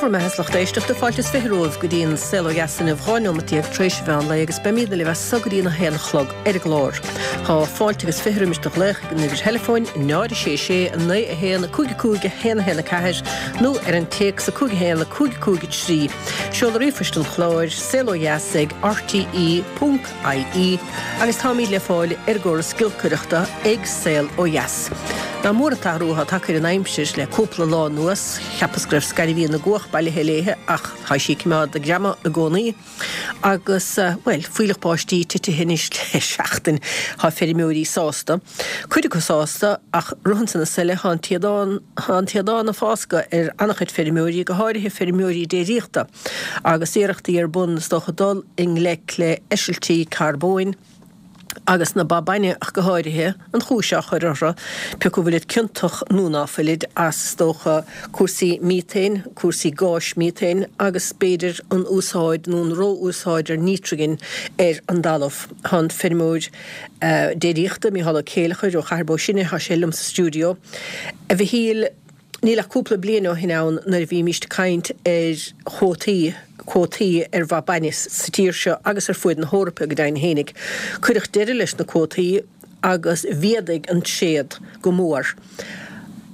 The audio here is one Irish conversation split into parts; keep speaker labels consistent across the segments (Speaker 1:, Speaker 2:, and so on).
Speaker 1: Bhur mbeatha is lucht éisteachta, fáilte is 20 romhaibh go dtí an Saol Ó Dheas inniu, 12 neomat tar éis an mheán lae agus beimídne libh as so go dtí an 1 a chlog ar an gclár. Tá fáilte agus 20 roimis do ghlaoch ag an uimhir theileafóin 0 6 6 9 1 5 5 1 1 4 nó ar an téacs 5 1 5 5 3. Seoladh ríomhphoist an chláir, saolodheas ag rte. ie agus táimid le fáil ar an gcóras giolcaireachta ag Saol Ó Dheas. Nach mór an t-athrú atá tagtha ar an aimsir le cúpla lá anuas. Cheapas go raibh scairbhín na gcuach bailithe léithe ach tá sí ag coimeád a greama i gcónaí. Agus, bhuel, fuílleach báistí titithe anois le seachtain. Tá feirmeoirí sásta. Cuid acu sásta ach ritheann na súile, tá an téadán, tá an téadán ag fáscadh ar an-chuid feirmeoirí, go háirithe feirmeoirí déiríochta. Agus iarrachtaí ar bun, is dócha, dul i ngleic le heisiltí carbóin, agus na ba bainne ach go háirithe, an chúis á chur orthu, pé acu bhfuilid ciontach nó ná fuilid, as, is dócha, cúrsaí míotéin, cúrsaí gáis mhíotéin, agus b'fhéidir an úsáid nó an ró-úsáid ar nítrigin ar an dtalamh. Tá an feirmeoir déiríochta, Mícheál Ó Céileachair ó Chathair Bó Sine, tá sé liom sa stiúideo. A Mhichíl. Níl ach cúpla bliain ó shin ann nuair a bhímíst ag caint ar chuótaí, cuótaí ar bha bainne sa tír seo agus ar fuaid na hEorpa go deimhin fhéinig. Cuireadh deireadh leis na cuótaí agus mhéadaigh an tréad go mór.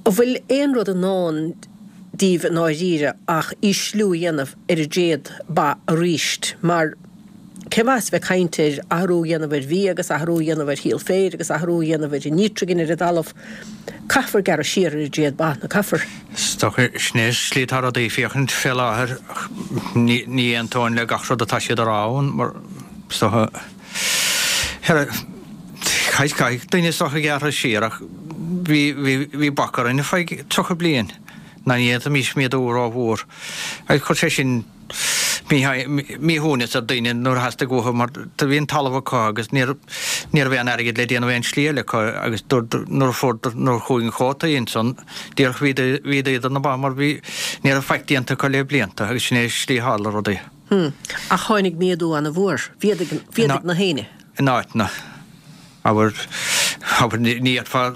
Speaker 1: An bhfuil aon rud i ndán daoibh i ndáiríre ach ísliú a dhéanamh ar an dtréad ba aríst mar Cén mhaitheas bheith ag caint ar athrú a dhéanamh ar bhia agus athrú a dhéanamh ar shíol féir agus athrú a dhéanamh ar an nítrigin ar an dtalamh? Caithfear gearradh siar ar an dtréad ba, ná caithfear?
Speaker 2: Is dócha, sin é an slí atá rudaí ag féachaint fé láthair. Ní aontóinn le gach rud atá siad a rá ann mar is dócha, caithfidh daoine is dócha gearradh siar ach bhí bac orainn ar feadh 30 bliain ná ní fhéadfaimis méadú rómhór agus chuir sé sin míshuaimhneas ar daoine nuair a theastaigh uathu mar do bhí an talamh acu agus ní raibh aon airgead le déanamh aon slí eile acu agus nuair a fuair nuair a chuaigh an cuóta ansan díreach mhéadaíodar na ba mar bhí ní raibh faic déanta acu le blianta agus sin é an slí a tharla rudaí.
Speaker 1: Hmm. Ach tháinig méadú ana-mhór. Mhéadaigh na héinne.
Speaker 2: In áiteanna. Abair, abair, ní fhéadfá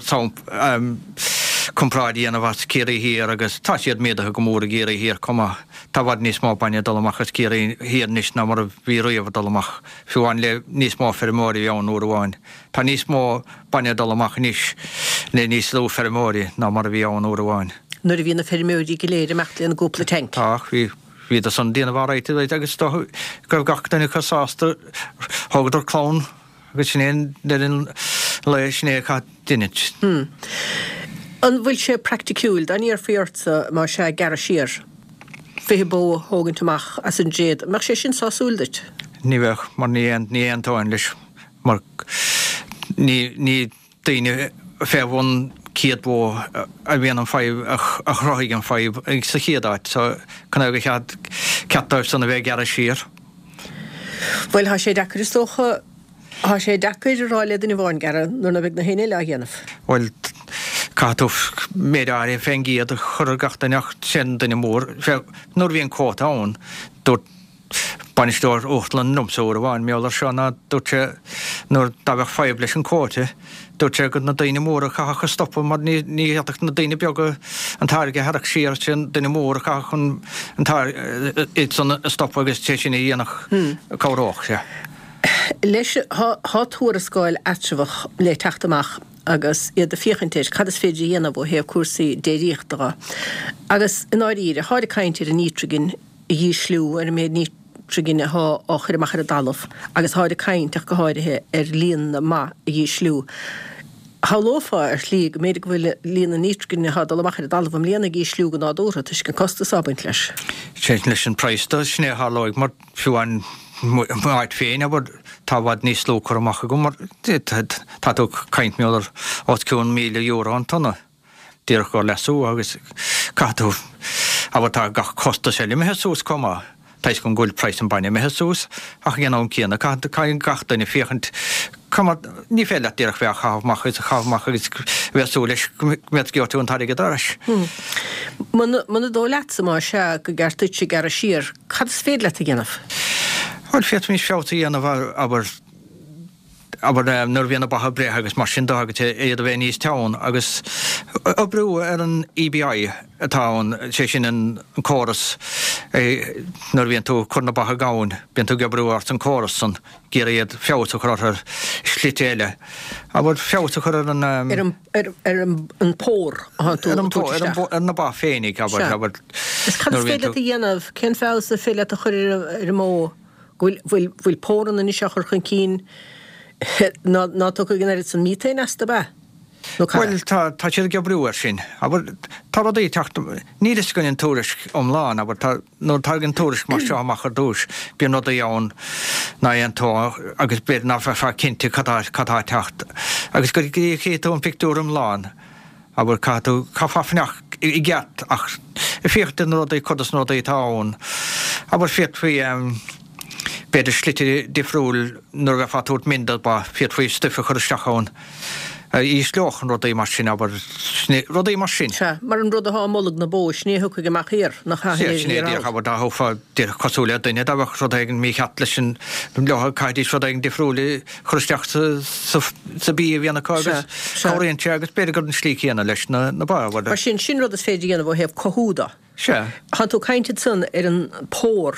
Speaker 2: comparáid a dhéanamh as Ciarraí Thiar agus tá siad méadaithe go mór i gCiarraí Thiar chomh maith. Tá i bhfad níos mó bainne ag dul amach as Ciarraí Thiar anois ná mar a bhí riamh ag dul amach, fiú amháin le níos mó feirmeoirí a bhí ann uair amháin. Tá níos mó bainne ag dul amach anois le níos lú feirmeoirí ná mar a bhí ann uair amháin.
Speaker 1: Nuair a bhí na feirmeoirí go léir ag imeacht lena gcúpla tanc.
Speaker 2: Tá, bhí. Bhíodar san ag déanamh alright agus is dócha go raibh gach duine acu sásta. Thógadar clann. Agus sin é an deireadh an lae, sin é a chaith deinit.
Speaker 1: Hmm. An bhfuil sé praiticiúil, dá n-iarrfaí ortsa, más ea, gearradh siar, 20 bó a thógaint amach as an dtréad, an mbeadh sé sin sásúil duit?
Speaker 2: Ní bheadh, mar ní ní aontóinn leis, mar ní ní daoine fé bhun 100 bó a bhíonn an fadhb, a chruthaigh an fadhb sa chéad áit, so cén fáth gur cheart dóibh san a bheith ag gearradh siar?
Speaker 1: Bhuel, tá sé deacair is dócha, tá sé deacair a rá le duine amháin gearradh nuair ná beidh na héinne eile á dhéanamh.
Speaker 2: Bhuel, caithfidh tú méid áirithe fén gcéad a chur ar gach duine ach sé an duine mór, fé, nuair a bhí an quota ann, dúirt bainisteoir uachtarlann liomsa uair amháin, mar gheall air seo ná dúirt sé nuair dá bheadh fadhb leis an quota, dúirt sé gur na daoine móra a chaithfeadh a stopadh mar ní ní fhéadfadh na daoine beaga an táirge a tharrac siar, sé an duine mór a chaithfeadh an an táirge iad san a stopadh agus sé sin a dhéanfadh a cabhródh sé.
Speaker 1: Leis, tá tuarascáil eatramhach le teacht amach agus iad ag féachaint ar cad is féidir a dhéanamh ó thaobh cúrsaí déiríochta dhe. Agus i ndáiríre, táid ag caint ar an nítrigin a dhísliú, ar an méid nítrigine atá á chur amach ar an dtalamh agus táid ag caint ach go háirithe ar líon na mba a dhísliú. Shamhlófá ar shlí go mb'fhéidir go bhfuil líon na nítrigine atá ag dul amach ar an dtalamh i mbliana ag ísliú go nádúrtha toisc an costas atá ag baint leis.
Speaker 2: Sé leis an praghas do, sin é a tharlóidh mar fiú amháin m'áit féin, abair, tá i bhfad níos lú curtha amach agam mar tá tú ag caint mar gheall ar os cionn €1,000 an tonna. Díreach gur leasú agus caithfidh tú, abair tá gach costas eile imithe suas chomh maith, toisc go bhfuil praghas an bainne imithe suas ach ag an am céanna caithfidh caithfidh gach duine féachaint cá mar, ní féidir leat díreach bheith á chaitheamh amach agus á chaitheamh amach agus bheith ag súil leis go mbeadh gheobhaidh tú an t-airgead ar ais.
Speaker 1: Muna muna dóigh leatsa más ea go gceart duitse gearradh siar, cad is féidir leat a dhéanamh?
Speaker 2: Bhuel féadfaimis feabhas a dhéanamh abair. Abair nuair a bhíonn na ba ag breith agus mar sin de agus iad a bheith níos teann agus oibriú ar an EBI atá ann, sé sin an córas nuair a bhíonn tú ag cur na ba i ngamhain, bíonn tú ag oibriú ars an córas san, ag iarraidh iad feabhas a chur orthu ar slite eile. Abair feabhas a chur ar an.
Speaker 1: Ar an, ar, ar an pór atá tú ag tabhairt isteach.
Speaker 2: Ar na ba féinig, abair, abair.
Speaker 1: Is cad is féidir leat a dhéanamh, cén feabhas is féidir leat a chur ar an mbó? Go bhfuil, bhfuil póranna anois á chur chun cinn ná, ná tiocfaidh an oiread san miotain astu, ab ea?
Speaker 2: Nó cad é? Bhuel, tá, tá siad ag oibriú air sin. Abair, tá rudaí ag teacht, níl fhios againn an tuairisc iomlán, abair, tá, nuair a tagann tuairisc mar seo amach ar dtúis, bíonn rudaí ann ná aontófá agus b'fhéidir ná bheifeá cinnte cad tá, cad tá ag teacht. Agus go dtí a chífidh tú an pictiúr iomlán, Abair, caithfidh tú, caithfeá fanacht i gceart ach féachaint ar na rudaí, cuid dos na rudaí atá ann. Abair, féadfaí, b'fhéidir slite difriúil nuair a bheifeá ag tabhairt min do ba, féadfaí stuif a chur isteach ann a ísleodh an rudaí mar sin, abair, rudaí mar sin.
Speaker 1: Sea, mar an rud atá i mbolg na bó, sin é a thiocfaidh amach thiar, nach ea?
Speaker 2: Sea, sin é díreach, abair, dá thabharfá, díreach cosúil le duine, dá mbeadh rud éigin mícheart leis an, leo, caithfidís rud éigin difriúil a chur isteach sa, sa bia a bhíonn acu agus cabhraíonn sé agus b'fhéidir gur an slí chéanna leis na ba.
Speaker 1: Mar sin, sin rud is féidir a dhéanamh ó thaobh cothú de.
Speaker 2: Sea.
Speaker 1: Tá tú ag caint ansan ar an pór,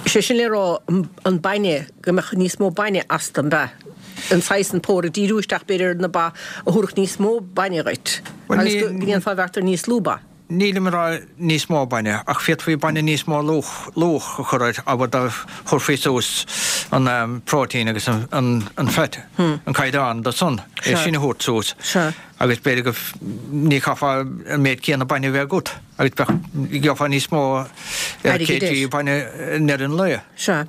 Speaker 1: sé sin le rá an bainne, go mbeadh níos mó bainne astu, an ea? An saghas an pór ag díriú isteach b'fhéidir ar na ba a thabharfadh níos mó bainne dhuit agus go ndéanfá beart ar níos lú ba.
Speaker 2: Nílim ag rá níos mó bainne, ach féadfaí bainne níos mó luach a chur air, abair dá thabharfaí suas an próitéin agus an fat, an caighdeán de san, é sin a thabhairt suas agus b'fhéidir go, ní chaithfeá an méid céanna bainne a bheith agat agus bheadh, gheofá níos mó ar kg bainne i ndeireadh an lae.
Speaker 1: Sea.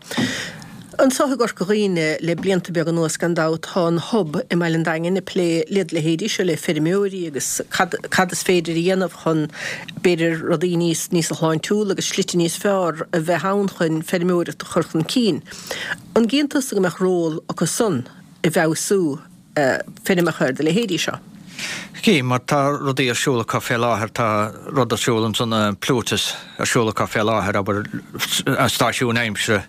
Speaker 1: Anseo i gCorca Dhuibhne le blianta beaga anuas gan dabht tá an Hub i mBaile an Daingin ag plé led leithéidí seo le feirmeoirí agus cad cad is féidir a dhéanamh chun b'fhéidir rudaí níos níos shláintiúla agus slite níos fearr a bheith ann chun feirmeoireacht a chur chun cinn. An gcíonn tusa go mbeadh ról acu san i bhfeabhsú feirmeacha ar do leithéidí seo?
Speaker 2: Cím, mar tá rudaí ar siúl acu fé láthair, tá rud ar siúl ansan, Plutus ar siúl acu fé láthair, abair, stáisiún aimsire,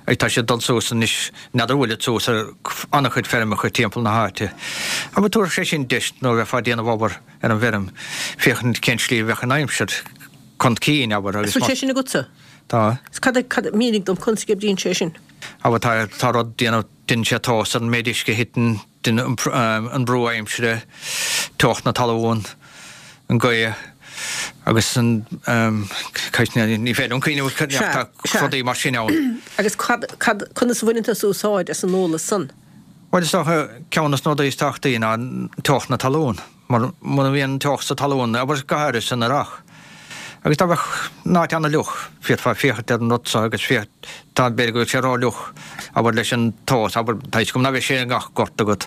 Speaker 2: agus tá siad ag dul suas anois, n'fheadar an bhfuilid suas ar an-chuid feirmeacha timpeall na háite. Abair, tabharfaidh sé sin deis nuair a bheifeá ag déanamh obair ar an bhfeirm, féachaint cén slí a bheadh an aimsir chun cinn, abair,
Speaker 1: agus. Bhfuil sé sin agatsa?
Speaker 2: Tá.
Speaker 1: Cad, cad, mínigh dom conas a oibríonn sé sin?
Speaker 2: Abair, tá, tá rud déanamh. Déanann sé tomhas ar an méid uisce a thiteann, an brú aimsire, teocht na talún, an ghaoth agus an, ní féidir liom cuimhneamh ach tá rudaí mar sin ann.
Speaker 1: Agus cad, cad, conas a bhaineann tusa úsáid as an eolas san?
Speaker 2: Bhuel, is dócha, ceann de na rudaí is tábhachtaí ná teocht na talún. Mar muna mbíonn teocht sa talún, abair go háirithe san earrach, agus dá mbeadh an áit ana-fhliuch, féadfá féachaint ar an rud so agus féach, tá, b'fhéidir go bhfuil sé ró-fhliuch, abair, leis an tomhas, abair, tá fhios agam ná beidh sé i ngach gort agat,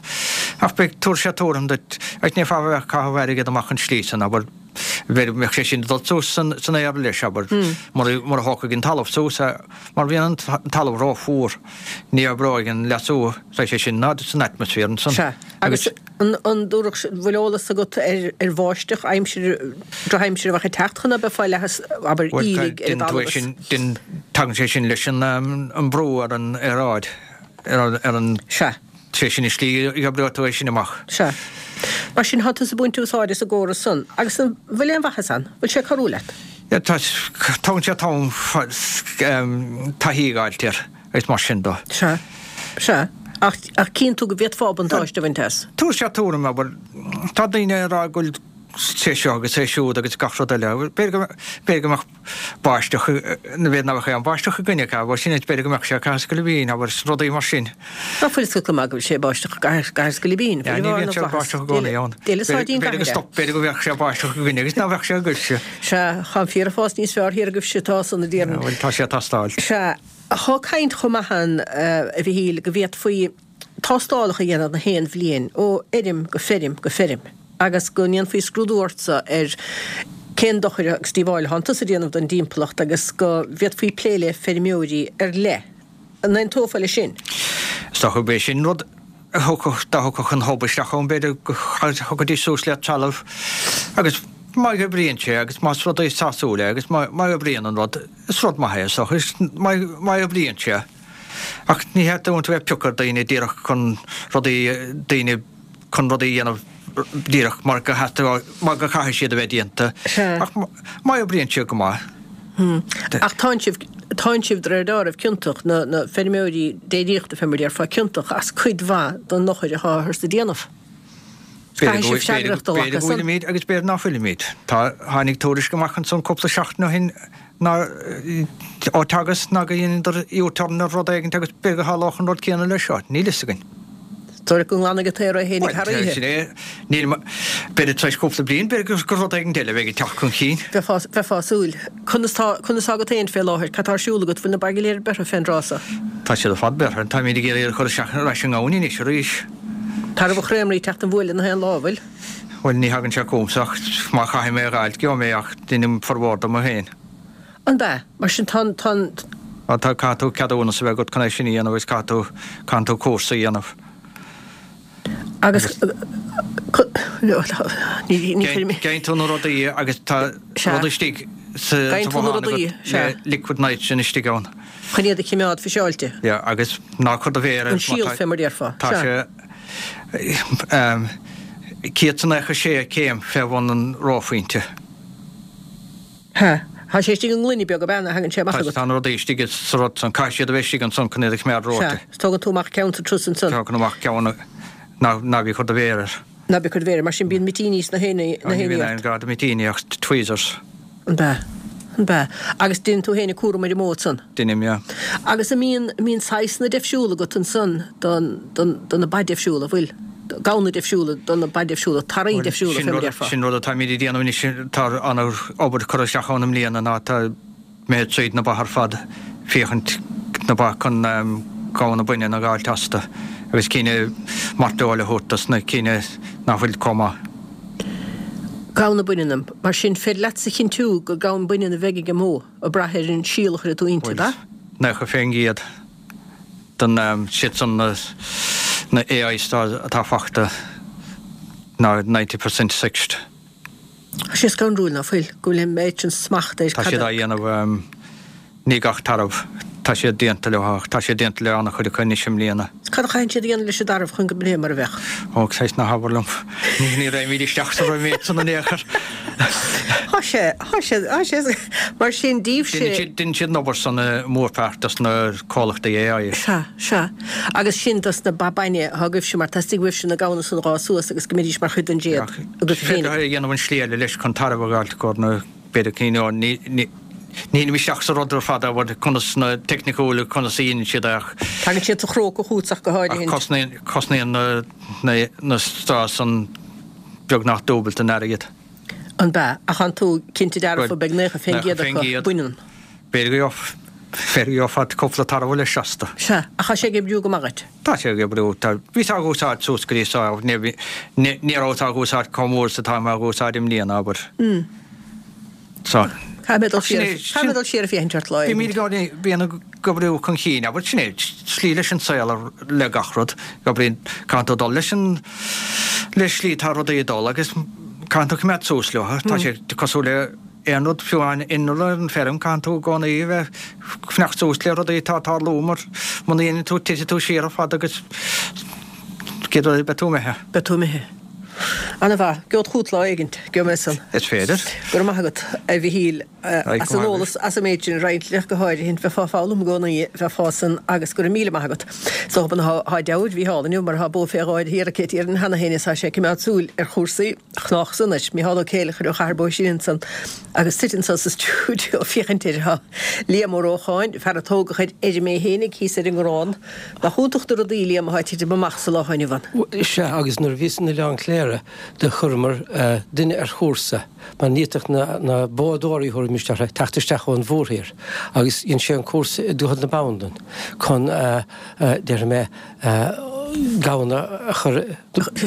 Speaker 2: ach beidh, tabharfaidh sé tuairim duit, agus ní bheifeá ag caitheamh airgead amach an slí san, abair, b'fhéidir go mbeadh sé sin ag dul suas san, san aer leis, abair, mura, mura thógfaidh an talamh suas é, mar bhíonn an talamh ró-fhuar, ní oibreoidh an leasú, tá sé sin ná san atmaisféar ansan.
Speaker 1: Sea, agus. An dtabharfadh sé, bhfuil eolas agat ar bháisteach, aimsir, drochaimsir a bheadh ag teacht chun ná beifeá leathas, abair, aoiligh ar an
Speaker 2: dtalamh is. Bhuel, tagann sé sin leis an mbrú ar an aeráid, ar an.
Speaker 1: Sea.
Speaker 2: Sé sin an slí a oibreoidh tú é sin amach.
Speaker 1: Sea. Mar sin, tá tusa ag baint úsáid as an gcóras san. Agus an bhfuil aon mhaitheas ann? Bhfuil sé ag cabhrú leat?
Speaker 2: Yeah, tá, tógann sé am taithí a fháilt air. Agus mar sin de.
Speaker 1: Sea. Sea. Ach, ach cíonn tú go bhféadfá buntáiste a bhaint as.
Speaker 2: Tabharfaidh sé tuairim, abair, tá daoine ag rá go bhfuil sé seo agus é siúd agus gach rud eile. B'fhéidir go, b'fhéidir go mbeadh báisteach, nó b'fhéidir nach mbeadh aon báisteach againne, abair, sin é, b'fhéidir go mbeadh sé i gCathair Scoilbín, abair, rudaí mar sin.
Speaker 1: Ná fuil fhios agat go maith go bhfuil sé ag báisteach i gCathair Scoilbín?
Speaker 2: Ní bhíonn sé ag báisteach i gcónaí ann. B'fhéidir go stop, b'fhéidir go mbeadh sé ag báisteach againne agus ná bheadh sé agaibhse.
Speaker 1: Sea, tá an féar ag fás níos fearr thiar agaibhse atá san, a déarfainn.
Speaker 2: Bhuel, tá sé ag teastáil.
Speaker 1: Sea. Tá caint chomh maith ann, a Mhichíl, go bhféadfaí tástálacha a dhéanamh na haon bhliain, ó fheirm go feirm go feirm, agus go ndéanfaí scrúdú ortsa ar cén dochar agus díobháil atánn tusa a dhéanamh don dtimpeallacht agus go bhféadfaí plé le feirmeoirí ar leith. An aontófá leis sin?
Speaker 2: Is dócha gurb é sin rud a thiocfadh, dá thiocfadh an hub isteach ann, b'fhéidir go thiocfaidís suas le trealamh agus má oibríonn sé agus más rud é sásúil é agus má oibríonn an rud, Is rud maith é, is dócha. Má oibríonn sé. Ach ní theastaíonn uait a bheith ag piocadh ar daoine díreach chun rudaí, daoine chun rudaí a dhéanamh díreach mar go theastaigh, mar go chaithfidh siad a bheith déanta. Ach má oibríonn siad go maith.
Speaker 1: Ach tánn sibh, tánn sibh de réir dealraimh ciontach, na, na feirmeoirí déiríochta fé mar a déarfá, ciontach as cuid mhaith den dochar atáthar a dhéanamh.
Speaker 2: Caithfidh sibh freagracht a ghlacadh as san. B'fhéidir go bhfuilimid agus b'fhéidir ná fuilimid. Tá, tháinig tuairisc amach ansan cúpla seachtain ó shin ná, ó Teagasc ná go dheineadar U-turn ar rud éigint agus b'fhéidir go tharlódh an rud céanna leis seo. Níl fhios againn.
Speaker 1: Dóigh go nglanfaidh an t-aer é fhéinig thar
Speaker 2: oíche. Sin é. Níl, b'fhéidir tar éis cúpla bliain, b'fhéidir gur rud éigint eile a bheidh ag teacht chun cinn.
Speaker 1: Bheifeá, bheifeá ag súil. Conas tá, conas tá agat féin fé láthair? Cad tá ar siúl agat? Bhfuil na ba go léir beirthe fén dtráth so?
Speaker 2: Tá siad ar fad beirthe. Táimid ag iarraidh iad a chur isteach ar ais i ngamhain anois arís.
Speaker 1: Tarbh an chréamraí ag teacht an bhuaile na haon lá, an bhfuil?
Speaker 2: Bhuel, ní thagann sé chugamsa ach má chaithfidh mé a dh'fháilt, gheobhaidh mé ach deinim formhór dom féin.
Speaker 1: An b'ea? Mar sin tá an, tá an.
Speaker 2: Á tá, caithfidh tú ceadúnas a bheith agat chun é sin a dhéanamh agus caithfidh tú, caitheann tú cúrsa a dhéanamh.
Speaker 1: Agus, ní, ní chuirim.
Speaker 2: Gheibheann tú na rudaí agus tá rud istigh sa, sa bhothán agat le liquid nitrogen istigh ann.
Speaker 1: Chun iad a chimeád fiseáilte.
Speaker 2: Yeah, agus ná cuir do mhéar air.
Speaker 1: An síol fé mar déarfá.
Speaker 2: Tá sé 196 céim fé bhun an reophointe.
Speaker 1: Ha. Tá sé istigh i ngloine beag ab ea nuair a thagann sé amach agat?
Speaker 2: Tá na rudaí istigh sa rud san. Caithfidh siad a bheith istigh ansan chun iad a choimeád
Speaker 1: reoite. Sea. Tógann tú amach ceann sa turas ansan.
Speaker 2: Tógann amach ceann ná ná bí ag cur do mhéar air.
Speaker 1: Ná bí ag cur do mhéar air. Mar sin bíonn mitíní sna
Speaker 2: héiní ort. Ní bhíonn aon ghá do mhitíní ach tweezers.
Speaker 1: An b'ea? An b'ea? Agus déanann tú féin an cúram ar an mbó ansan?
Speaker 2: Deinim, yeah.
Speaker 1: Agus an mbíonn, an mbíonn saghsanna deifsiúla agat ansan don, don, do na ba deifsiúla, an bhfuil? Gamhna deifsiúla do na ba deifsiúla, tarbha deifsiúla, fé mar a déarfá.
Speaker 2: Sin rud atáimid ag déanamh anois, tá an-obair curtha isteach ann i mbliana ná tá mé tríd na ba ar fad féachaint na ba chun gamhna baineann a dh'fháilt astu agus cinn mairteoil a thabhairt dos na cinn nach bhfuil chomh maith.
Speaker 1: Gamhna baineann, mar sin féidir leatsa a chinntiú gur gamhain baineann a bheidh ag an mbó, ag brath ar an síol a chuirfidh tú inti, ab ea?
Speaker 2: 90% den siad san na AIs atá fachta ná 90% sexed.
Speaker 1: Tá sé scanrúil, ná fuil, go bhfuil an méid sin smacht ar
Speaker 2: Tá siad á dhéanamh, ní gach tarbh, tá siad déanta leo ach tá siad déanta le an-chuid acu anois i mbliana.
Speaker 1: Cad a chaitheann siad a dhéanamh leis an dtarbh chun go mbeidh mar a bheadh?
Speaker 2: Ó, saghas ná habair liom. Ní raghaimid isteach sa méid san in aon chor.
Speaker 1: Tá sé, tá sé, tá sé, mar sin díobhse.
Speaker 2: Deineann siad an obair san i mórpháirt dos na comhlachtaí AI.
Speaker 1: Sea, sea. Agus sin dos na ba bainne atá agaibhse mar theastaigh uaibhse na gamhna san a dh'fhás suas agus go mbeidís mar chuid den
Speaker 2: déad agaibh féinig. Féidir é a dhéanamh an slí eile leis chun tarbh a dh'fháilt i gcomhair na, b'fhéidir cinn ó, ní, ní, nílim isteach sa rud ar fad abair conas na teicniúil conas a dhéanann siad é ach.
Speaker 1: Tagann siad sa chróca chugat ach go
Speaker 2: háirithe. Ach cosnaíonn, cosnaíonn na, na, na straws san beagnach dúbailt an airgead.
Speaker 1: An b'ea? Ach tánn tú cinnte dearfa beidh 90% acu baineann.
Speaker 2: B'fhéidir go b'fhéidir go gheofá cúpla tarbh leis astu.
Speaker 1: Sea, ach tá sé ag oibriú go maith
Speaker 2: duit? Tá sé ag oibriú. Tá, bhíos á dh'úsáid suas go dtí so, ní, ní, ní rabhas á dh'úsáid chomh mór is atá mé á dh'úsáid i mbliana, abair.
Speaker 1: So. Caithfidh mé dul siar, caithfidh mé dul siar ag féachaint ort lá
Speaker 2: éigin. Bímid i gcónaí, bíonn ag oibriú chun cinn, abair, sin é, slí leis an saol le gach rud, oibríonn, caithfidh tú dul leis an, le slí atá rudaí ag dul agus caithfidh tú coimeád suas leo, tá sé cosúil le aon rud, fiú amháin inneall ar an feirm, caithfidh tú i gcónaí a bheith ag fanacht suas le rudaí atá ag tarlú mar muna ndéanann tú titfidh tú siar ar fad agus céad rud beidh tú imithe.
Speaker 1: Beidh tú imithe. Ana mhaith. Geobhad chugat lá éigint. Gheobhaidh mé san.
Speaker 2: Is féidir.
Speaker 1: Go raibh maith agat, a Mhichíl, as an eolas, as an méid sin a roinnt linn, go háirithe. Bheifeá ag foghlaim i gcónaí, bheifeá san, agus go raibh míle maith agat. Is dócha tá deabhair Mhícheál inniu mar tá bó fé dhó air thiar aici Tír cheana féin is tá sé ag coimeád súil ar chúrsaí. Chnách san anois. Mícheál Ó Céileachair ó Chathair Bó Sine ansan agus suite anso sa stiúideo féachaint air tá Liam Ó Rócháin, fear a tógadh ar fheirm é fhéinig thíos ar an nGrán. Nach iontach na rudaí, Liam, atá ag titim amach sa lá atá inniu
Speaker 3: ann. Sea, agus nuair a bhíos in Oileán Cléire do chuireamar duine ar chúrsa mar ní fhéadfadh na boghdóirí, thabharfaimis orthu, teacht isteach ón mhórthír agus dhein sé an cúrsa i dTuath na Bandan chun, déarfaidh mé, gamhna a chur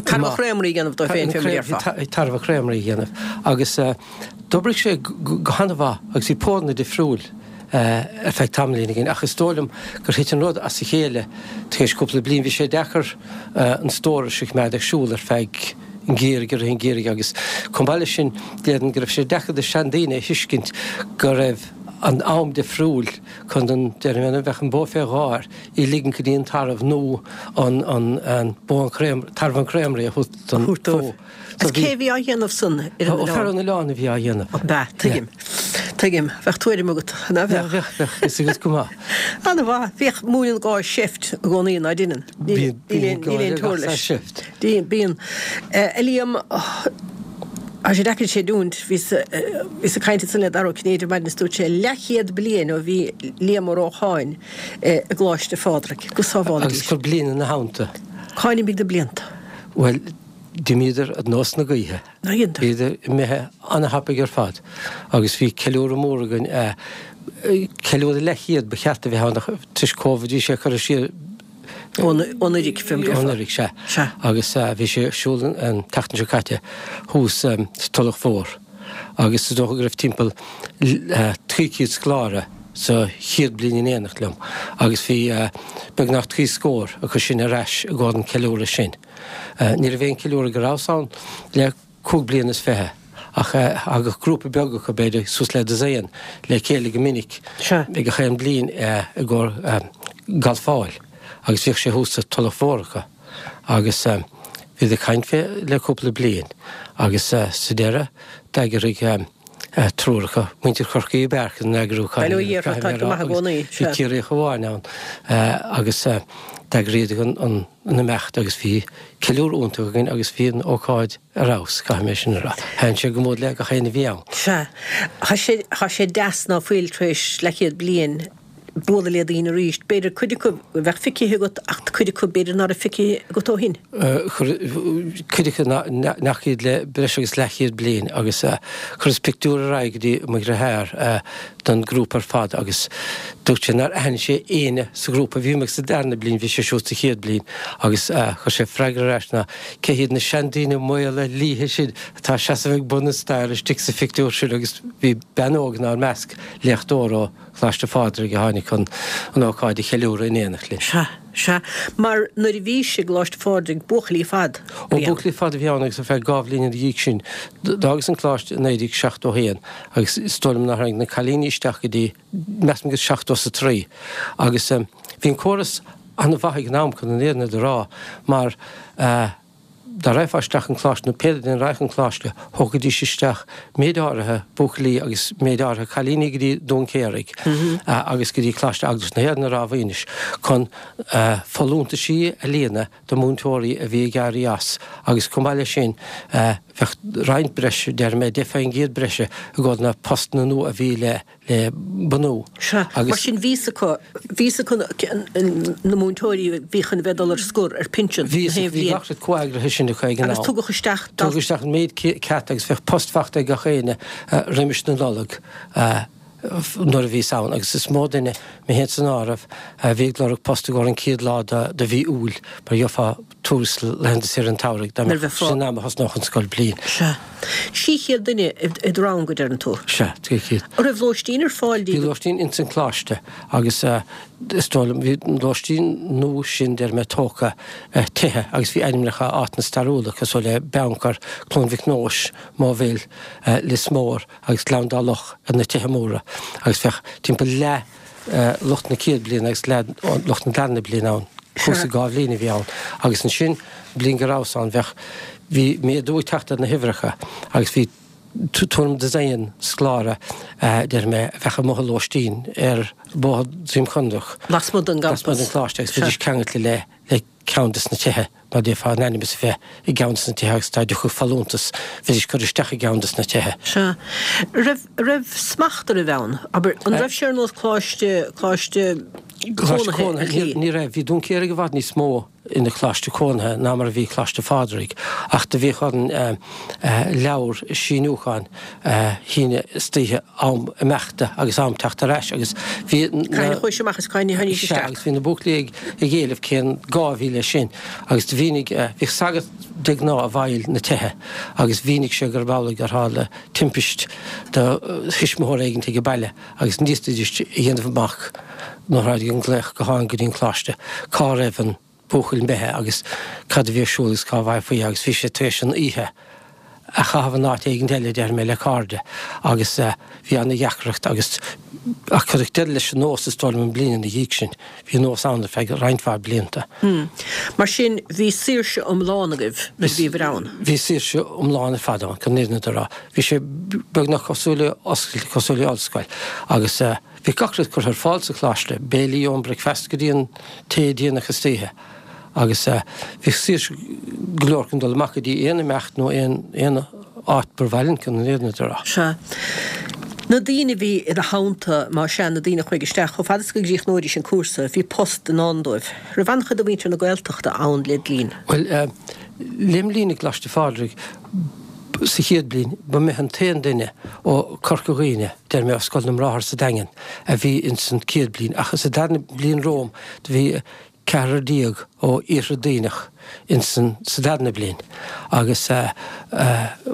Speaker 1: Tarbh chréamraí a dhéanamh dóibh féin, fé mar a déarfá.
Speaker 3: Tarbh chréamraí a dhéanamh agus d'oibrigh sé go han-mhaith agus bhí póranna difriúil ar feadh tamaillín againn ach is dóigh liom gur thit an rud as a chéile tar éis cúpla bliain. Bhí sé deacair an stóras a choimeád ag siúl ar feadh an gheimhridh, i rith an gheimhridh agus chomh maith leis sin déarfainn go raibh sé deacair do seandaoine a thuiscint go raibh. an am difriúil chun an, déarfaidh mé, bheadh an bó fé dháir, í ligint go dtí an tarbh nó an, an, an bó an chréam, tarbh an chréamraí a thabhairt don bhó.
Speaker 1: Agus cé a bhí á dhéanamh san ar an oileán?
Speaker 3: Ó, fear an oileáin a bhí á dhéanamh.
Speaker 1: Ab ea? Tuigim. Tuigim. Bheadh tuairim agat, ná
Speaker 3: bheadh? Bheadh, bheadh, fhios agat go maith.
Speaker 1: Ana-mhaith. Bhíodh múineann gáir seift i gcónaí, ná deineann?
Speaker 3: Bíonn, bíonn gáire gach saghas seift.
Speaker 1: Bíonn. A Liam, tá sé deacair a chreidiúint, bhíos ag caint ansan le Dara Ó Cinnéide ar maidin is dúirt sé leathchéad bliain ó bhí Liam Ó Rócháin i gColáiste Phádraig. Go sábhála
Speaker 3: Dia. Agus gur bliain ina theannta.
Speaker 1: Cá n-imigh na blianta?
Speaker 3: Bhuel, d'imíodar ar nós na gaoithe.
Speaker 1: Nár dheineadar?
Speaker 3: Bhíodar imithe ana-thapaidh ar fad agus bhí ceiliúradh mór againn, ceiliúradh leathchéad ba cheart a bheith ann ach toisc Covid bhí sé curtha siar
Speaker 1: Ó anuraidh, fé
Speaker 3: mar Ó anuraidh, sea.
Speaker 1: Sea.
Speaker 3: Agus bhí sé ar siúl an tseachtain seo caite thuas sa Tulach Mhór agus is dócha go raibh timpeall 300 scoláire sa chéad bliain in éineacht liom agus bhí beagnach trí scór acu sin ar ais i gcomhair an ceiliúradh sin. Ní raibh aon ceiliúradh go rabhas ann le 25 bliana ach thagadh grúpa beag acu, b'fhéidir suas le dosaen, le chéile go minic ag gach aon bhliain i gcomhair galfáil agus bhíodh sé thuas sa Tulach Mhór acu agus bhíodar ag caint fé le cúpla bliain agus sa deireadh d'eagraigh triúr acu, muintir Chorcaí ab fhearr chun an eagrúcháin
Speaker 1: a dhéanamh, caithfidh mé a rá,
Speaker 3: agus bhí Ciarraíoch amháin ann agus d'eagraíodar an imeacht agus bhí ceiliúradh iontach againn agus bhí an ócáid ar fheabhas, caithfidh mé sin a rá. Thaitin sé go mór le gach éinne a bhí ann.
Speaker 1: Sea. Tá sé, tá sé deas ná fuil tar éis leathchéad bliain bualadh le daoine arís. B'fhéidir cuid acu a bheadh feicthe agat ach cuid acu b'fhéidir ná raibh feicthe agat ó shin.
Speaker 3: Cuid acu nach bhfaca iad le breis agus leathchéad bliain agus chuireas pictiúr ar aghaidh go dtí mo dheartháir don ghrúpa ar fad agus dúirt sé nár aithin sé éinne sa ghrúpa. Bhí mé sa darna bliain, bhí sé siúd sa chéad bliain agus chuir sé freagra ar ais ná cé hiad na seandaoine maola liatha sin atá ag seasamh ag bun an staighre istigh sa phictiúr sin agus bhí bean óg inár measc, léachtóir ó Choláiste Phádraig a tháinig chun an ócáid a cheiliúradh in éineacht linn.
Speaker 1: Sea, sea. Mar nuair a bhís i gColáiste Phádraig, buachaillí ar fad
Speaker 3: a bhí ann. Ó, buachaillí ar fad a bhí ann agus ar feadh dhá bhliain ina dhiaidh sin, d'fhágas an coláiste i 1971 agus is dóigh liom nár tháinig na cailíní isteach go dtí, measaim go 70 is a trí. Agus bhí an córas an-mhaith ag an am chun an fhírinne a rá mar eh, dá raghfá isteach an coláiste nó pé duine a raghadh an coláiste, thógaidís isteach méid áirithe buachaillí agus méid áirithe cailíní go dtí Dún Céaraigh agus go dtí Coláiste Eaglais na hÉireann i Ráth Mhaoinis chun folúntaisí a líonadh do mhúinteoirí a bhí ag éirí as agus chomh maith leis sin bheadh roinnt breise, déarfaidh mé 10% breise i gcomhair na postanna nua a bhí le le bunú.
Speaker 1: Sea, mar sin bhí fhios acu, bhí fhios acu na múinteoirí a bhí chun a bheith ag dul ar scor, ar pinsean,
Speaker 3: na haon bhliain. Bhí gach rud comheagraithe sin acu ag an
Speaker 1: am. Agus tugadh isteach.
Speaker 3: Tugadh isteach an méid ceart agus bheadh post fachta ag gach éinne roimis na Nollag nuair a bhíos ann agus is mó duine, mé féin san áireamh, a bhí ag lorg post i gcomhair an chéad lá de mhí Iúil mar gheofá tuarastal laethanta saoire an tsamhraidh dá mbeadh sin am a thosnódh an scoilbhliain.
Speaker 1: Sea. 300 duine i do rang, a deireann tú?
Speaker 3: Sea, 300.
Speaker 1: An raibh lóistín ar fáil
Speaker 3: daoibh? Bhí lóistín ins an Coláiste agus is dóigh liom, bhí an lóistín nua sin, déarfaidh mé, tógtha, tithe agus bhí ainmneacha áiteanna stairiúla cosúil le Beannchar, Cluain Mhic Nóis, Moville, Lios Mór agus Gleann Dá Loch ar na tithe móra agus bheadh timpeall leath lucht na céad bliana agus leath lucht na darna bliana ann. Cúrsa dhá bhliain a bhí ann agus ansin, bliain go rabhas ann, bheadh, bhí méadú ag teacht ar na huimhreacha agus bhí tuairim dosaen scoláire, déarfaidh mé, a bheadh amuigh i lóistín ar Bhóthar Droim Conrach.
Speaker 1: Lasmuigh den
Speaker 3: gcampas. Lasmuigh den choláiste agus bhídís ceangailte le, le ceann des na tithe, mar d'fhéadfá a n-ainm is a bheith i gceann des na tithe agus dá dtiocfadh folúntas, bheidís curtha isteach i gceann des na tithe.
Speaker 1: Sea. Raibh, raibh smacht ar raibh ann? Abair, an raibh sé ar nós coláiste, coláiste
Speaker 3: cónaithe ar shlí? Ní raibh. Bhí Dún Céaraigh i bhfad níos mó ina choláiste cónaithe ná mar a bhí Coláiste Phádraig, ach do bhíodh orainn leabhar síniúcháin a shíneadh istoíche am imeachta agus am teacht ar ais agus bhí
Speaker 1: na. Cathain a chuaigh amach is cathain a tháinig
Speaker 3: isteach. Sea, agus bhí na buachaillí ag éileamh cén gá a bhí leis sin agus do mhínigh, bhíodh sagart de ghnáth i bhfeighil na tithe agus mhínigh sé gurb amhlaidh gur tharla timpist do thuismitheoir éigin ag an baile agus ní fhéadfaidís a dhéanamh amach nuair a tháinig an glaoch gutháin go dtí an coláiste cá raibh an buachaill imithe agus cad a bhí ar siúl agus cá bhfaighfí agus bhí sé tar éis an oíche. a chaitheamh in áit éigint eile, déarfaidh mé, le cairde agus bhí ana-dheacracht agus ach cuireadh deireadh leis an nós is dóigh liom an bliain ina dhiaidh sin. Bhí an nós ann ar feadh roinnt mhaith blianta.
Speaker 1: Mar sin, bhí saoirse iomlán agaibh nuair a bhíobhair ann?
Speaker 3: Bhí saoirse iomlán ar fad ann, chun an fhírinne a rá. Bhí sé beagnach cosúil le oscailt, cosúil le ollscoil agus bhí gach rud curtha ar fáil sa choláiste, béilí ón bricfeasta go dtí an tae déanach istoíche agus bhí saoirse go leor chun dul amach go dtí aon imeacht nó aon áit ba mhaith linn chun an fhírinne a rá.
Speaker 1: Sea. Na daoine a bhí i do theannta, más ea, na daoine a chuaigh isteach, chomh fada is go gcríochnóidís an cúrsa, bhí post i ndán dóibh. Raibh an-chuid de mhuintir na Gaeltachta ann led linn?
Speaker 3: Bhuel, lem linn i gColáiste Phádraig sa chéad bhliain, ba mé an t-aon duine ó Chorca Dhuibhne, deir mé, ó Scoil na mBráthar sa Daingean, a bhí ins an chéad bhliain. Ach sa darna bliain romham, do bhí ceathrar déag ó Iarthar Duibhneach ins an sa darna bliain agus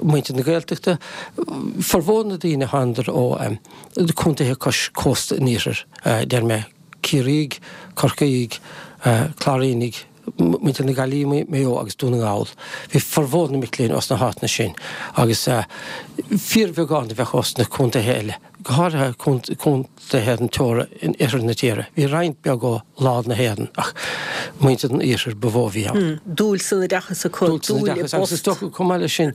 Speaker 3: muintir na Gaeltachta, formhór na daoine thánadar ó contaetha cois cósta an iarthair, deir mé, Ciarraígh, Corcaígh, Cláirínigh, muintir na Gaillimhe, Maigh Eo agus Dún na nGall. Bhí formhór na mic léinn ós na háiteanna sin agus fíorbheagán a bheadh ós na contaetha eile. go háirithe contaetha an teora in oirthear na tíre. Bhí roinnt beag ó lár na hÉireann ach muintir an iarthair ba mhó a bhí ann.
Speaker 1: Dúil san oideachas acu,
Speaker 3: dúil san oideachas agus is dócha chomh maith leis sin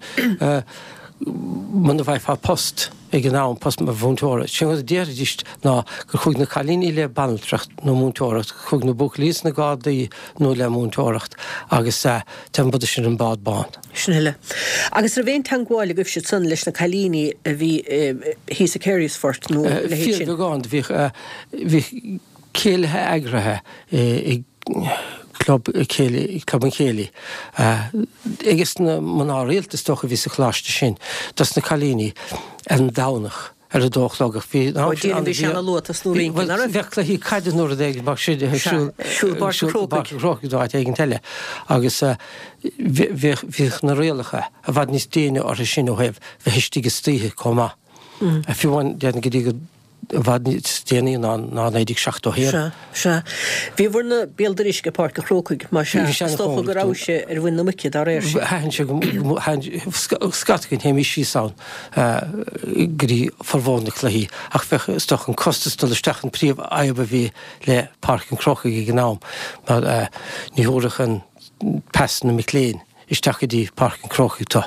Speaker 3: muna bhfaighfeá post ag an am, post mar mhúinteoir, sé an rud a déarfaidís ná gur chuaigh na cailíní le banaltracht nó múinteoireacht, chuaigh na buachaillí sna Gardaí nó le múinteoireacht agus téann an sin an bád bán.
Speaker 1: Sin uile. Agus raibh aon teangmháil agaibhse ansan leis na cailíní a bhí thíos i Carysfort nó a
Speaker 3: leithéid sin? Fíorbheagán. Bhíodh, bhíodh céilithe eagraithe i gclub céilí, club an chéilí, ages na mná rialta is dócha a bhí sa choláiste sin, dos na cailíní ar an Domhnach. ar a dó a chlog ach bhí
Speaker 1: Ó déarfainn bhí sé ana luath tosnú rince, nach
Speaker 3: raibh? Bheadh cluichí caide nó rud éigin mar sin ar siúl
Speaker 1: siúl i bPáirc an
Speaker 3: Chrócaigh. Chrócaigh nó áit éigin eile agus bhíodh bhíodh na rialacha i bhfad níos déine orthu sin ó thaobh bheith istigh istoíche chomh maith. Fiú amháin déarfainn go dtí go i bhfad níos déanaí ná ná 1971.
Speaker 1: Sea, sea. Bhíobhair na béal dorais ag Páirc an Chrócaigh, más ea. Is dócha go rabhais-se ar mhuin na muice dá réir
Speaker 3: sin. Thaitin sé go, thaitin, scata againn, théimís síos ann go dtí formhór na cluichí ach bheadh, is dócha, an costas dul isteach an príomhfhadhb a bhí le Páirc an Chrócaigh ag an am mar ní thabharfadh an pas na mic léinn. isteach go dtí Páirc an Chrócaigh tú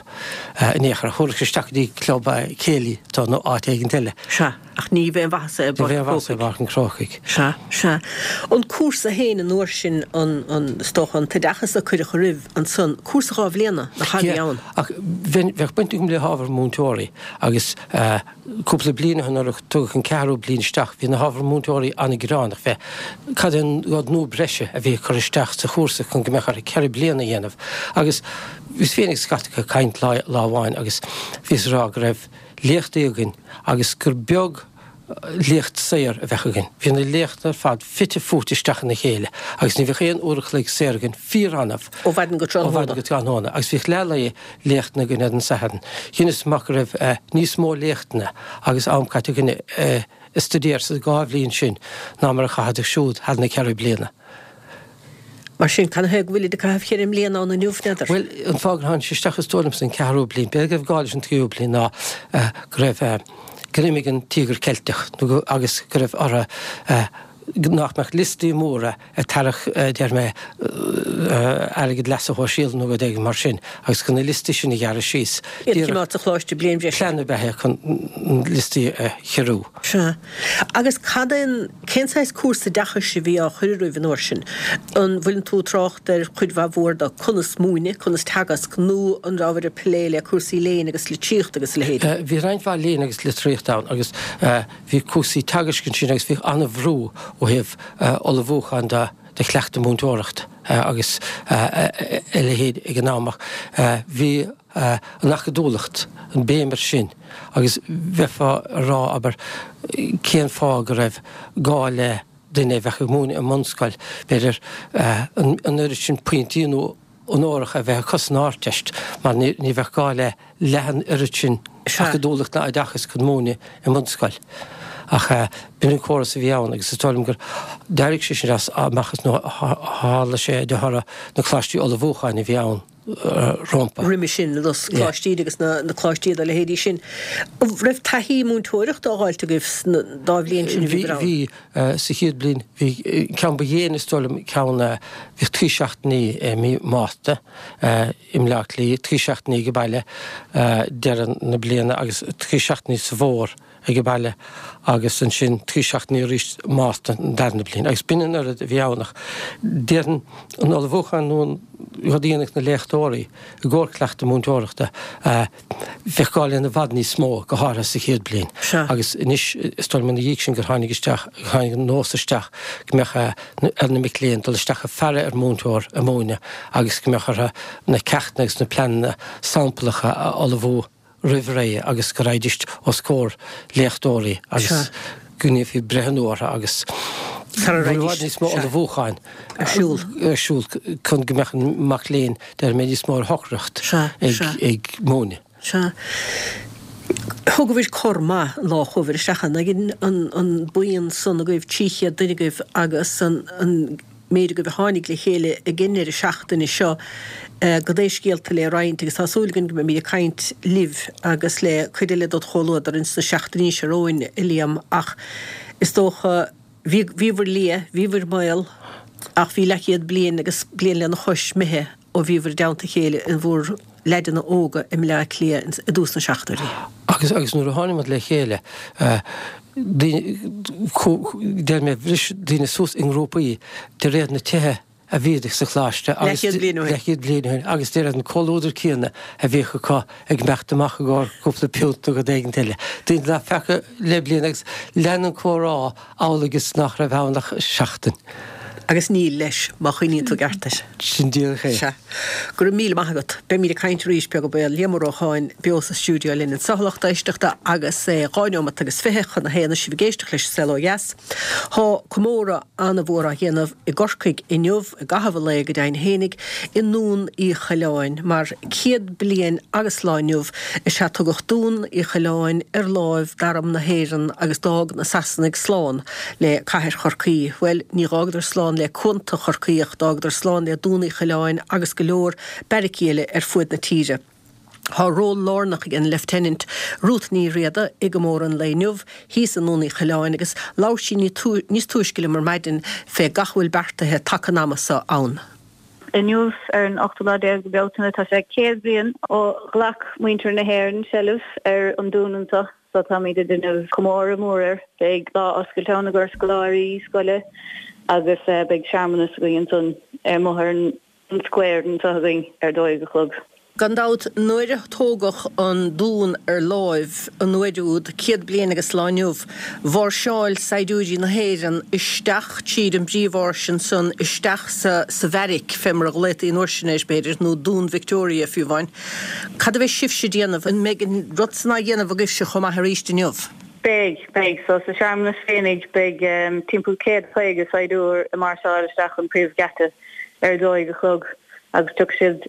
Speaker 3: in aon chor. Thabharfadh sé isteach go dtí club céilí tú nó áit éigint eile.
Speaker 1: Sea, ach ní bheadh aon mhaitheas i
Speaker 3: bPáirc an Chrócaigh. Ní bheadh aon mhaitheas i bPáirc an Chrócaigh.
Speaker 1: Sea, sea. An cúrsa féin an uair sin, an, an, is dócha, an t-oideachas a cuireadh oraibh ansan, cúrsa dha bhliana, nach ea a bhí ann?
Speaker 3: Ach bheadh baint agam le hábhar múinteoirí agus eh, Cúpla bliain ó shin nuair a tugadh an ceathrú bliain isteach bhí na hábhair múinteoirí an-ghearánach fé cad é an rud nua breise a bhí ag cur isteach sa chúrsa chun go mbeadh orthu 4 bliana a dhéanamh agus bhíos féin agus scata acu ag caint lá lá amháin agus bhíos ag rá go raibh léachtaí againn agus gur beag léacht saor a bheadh againn. Bhí na léachtanna ar fad fite fuaite isteach ina chéile agus ní bheadh aon uair a chloig saor againn, fíor-annamh.
Speaker 1: Ó mhaidin go
Speaker 3: tráthnóna. Ó mhaidin go tráthnóna agus bhíodh leath lae léachtanna againn ar an Satharn. Dheineas amach go raibh níos mó léachtanna agus am caite againn ag stuidéar sa dhá bhliain sin ná mar a chaitheadar siúd thar na ceithre bliana.
Speaker 1: Mar sin, canathaobh go bhfuilid ag caitheamh cheithre mbliana ann inniu, n'fheadar?
Speaker 3: Bhuel, an fáth gur tháinig sé isteach is dóigh liomsa an ceathrú bliain, b'fhéidir go raibh gá leis an tríú bliain ná go raibh, gur imigh an Tíogar Ceilteach nó go, agus go raibh orthu nach mbeadh liostaí móra ag tarrac, deir mé, airgead leasa shóisialaigh nó rud éigin mar sin, agus chun na liostaí sin a ghearradh síos.
Speaker 1: Iad a choimeád sa choláiste bliain bhreise.
Speaker 3: Plean ab ea é chun na liostaí a chiorrú.
Speaker 1: Sea. Agus cad é an, cén saghas cúrsa oideachais a bhí á chur oraibh an uair sin? An bhfuileann tú ag trácht ar chuid mhaith mhór de conas múineadh, conas teagasc, nó an rabhabhair ag plé le cúrsaí léinn agus litríochta agus a leithéid?
Speaker 3: Bhí roinnt mhaith léinn agus litríochta ann agus bhí cúrsaí teagaisc ansin agus bhíodh an-bhrú ó thaobh ullmhúcháin de do chleachtadh múinteoireacht agus a leithéid ag an am ach bhí an acadúlacht, an béim air sin agus bheifeá ag rá, abair, cén fáth go raibh gá le duine a bheadh ag múineadh i mbunscoil, b'fhéidir, an oiread sin pointí nó onóracha a bheith acu san Ardteist mar ní bheadh gá le leath an oiread sin acadúlacht ná oideachas chun múineadh i mbunscoil. Ach b'in an córas a bhí ann agus is dóigh liom gur d'éirigh sé sin as amach nó tharla sé de thoradh na coláistí ullmhúcháin a bhí ann. rómpa.
Speaker 1: Roimhe sin, na Coláistí agus na coláistí dá leithéidí sin. An raibh taithí múinteoireachta á dh'fháilt agaibh sna dá bhliain sin a bhíobhair ann?
Speaker 3: Bhí, bhí. Sa chéad bhliain, bhí, ceann ba dhéine is dóigh liom, ceann, bhíodh trí seachtainí i mí Márta i mBleá Cliath, trí seachtainí ag baile deireadh na bliana agus trí seachtainí sa bhfómhar. ag baile agus ansin trí seachtainí arís Márta an darna bliain agus b'in an oiread a bhí ann ach déarfainn an ullmhúchán nó an rud a dhéanadh na léachtóirí i gcomhair cleachtadh múinteoireachta bheadh gá lena i bhfad níos mó go háirithe sa chéad bliain agus anois is dóigh liom ina dhiaidh sin gur tháinig isteach gur tháinig an nós isteach go mbeadh ar na mic léinn dul isteach ag faire ar mhúinteoir ag múineadh agus go mbeadh orthu na ceachtanna agus na pleananna samplacha a ullmhú. roimh ré agus go raghaidís os comhair léachtóirí agus go ndéanfaí breithniú orthu agus
Speaker 1: sara
Speaker 3: i bhfad níos mó ullmhúcháin
Speaker 1: ar siúl.
Speaker 3: ar siúl chun go mbeadh an mac léinn déarfaidh mé níos mó ar shocracht ag múineadh.
Speaker 1: Sea. Thógabhair cor maith an lá a chuabhair isteach ann ag an buíon san agaibh, 300 duine agaibh agus an méid agaibh a tháinig le chéile ag an ndeireadh seachtaine seo gan aon scéalta le roinnt agus tá súil againn go mbeimid ag caint libh agus le cuid eile dod chomhluadar ins na seachtainí seo romhainn, a Liam, ach is dócha, bhí, bhíobhair liath, bhíobhair maol ach bhí leathchéad bliain agus bliain lena chois imithe ó bhíobhair i dteannta a chéile in bhur leaideanna óga i mBleá Cliath i dtús na seachtóidí.
Speaker 3: Agus, agus nuair a tháinig muid le chéile, daoine, deir mé, bhris daoine suas i ngrúpaí de réir na tithe a bhíodar sa choláiste agus,
Speaker 1: Leathchéad bliain ó shin.
Speaker 3: leathchéad bliain ó shin, agus de réir an comhluadar céanna a bhíodh acu ag imeacht amach i gcomhair cúpla piúnt nó rud éigint eile. Daoine nach bhfeaca le bliain agus lean an comhrá amhlaidh is nach raibh ann ach seachtain.
Speaker 1: Agus níl, leis, má chuimhníonn tú i gceart air.
Speaker 3: Sin díreach é.
Speaker 1: Sea. Go raibh míle maith agat. Beimid ag caint arís, beag an baol. Liam Ó Rocháin, beo sa stiúideo linn anseo, a lucht éisteachta, agus é dhá neomat agus 20 chun a haon is sibh ag éisteacht leis An Saol Ó Dheas. Tá comóradh an-mhór á dhéanamh i gCorcaigh inniu, i gcaitheamh an lae go deimhin fhéinig, i nDún Uí Choileáin, mar 100 bliain agus lá inniu is ea tugadh Dún Uí Choileáin ar láimh d'Arm na hÉireann agus d'fhág na Sasanaigh slán le cathair Chorcaí. Bhuel, ní dh'fhágadar slán le cuanta Chorcaí ach d'fhágadar slán le Dún Uí Choileáin agus go leor beairicí eile ar fuaid na tíre. Tá ról lárnach ag an Lieutenant Ruth Ní Riada i gcomóradh an lae inniu thíos i nDún Uí Choileáin agus labhair sí níos túisce liom ar maidin fé gach a bhfuil beartaithe taca an ama so ann.
Speaker 4: Inniu, ar an ochtú lá déag de Bealtaine, tá sé 100 bliain ó ghlac muintir na hÉireann seilbh ar an dún anseo so táimid ag déanamh comóradh mór air. Beidh lá oscailte ann i gcomhair scoláirí scoile agus beidh searmanas againn ansan amuigh ar an an square anseo againn ar 12 a chlog.
Speaker 1: Gan dabht, nuair a tógadh an dún ar láimh an uair úd, 100 bliain agus lá inniu, mháirseáil saighdiúirí na hÉireann isteach tríd an bpríomháirse ansan, isteach sa sa bheairic, fé mar a ghlaotaí an uair sin air, b'fhéidir, nó Dún Victoria, fiú amháin. Cad a bheidh sibhse a déanamh? An mbeidh an rud san á dhéanamh agaibhse chomh maith arís inniu?
Speaker 4: Beidh, beidh. So sa searmanas féinig beidh timpeall 150 saighdiúir ag máirseáil isteach an príomhgheata. ar a dó dhéag a chlog agus tiocfaidh siad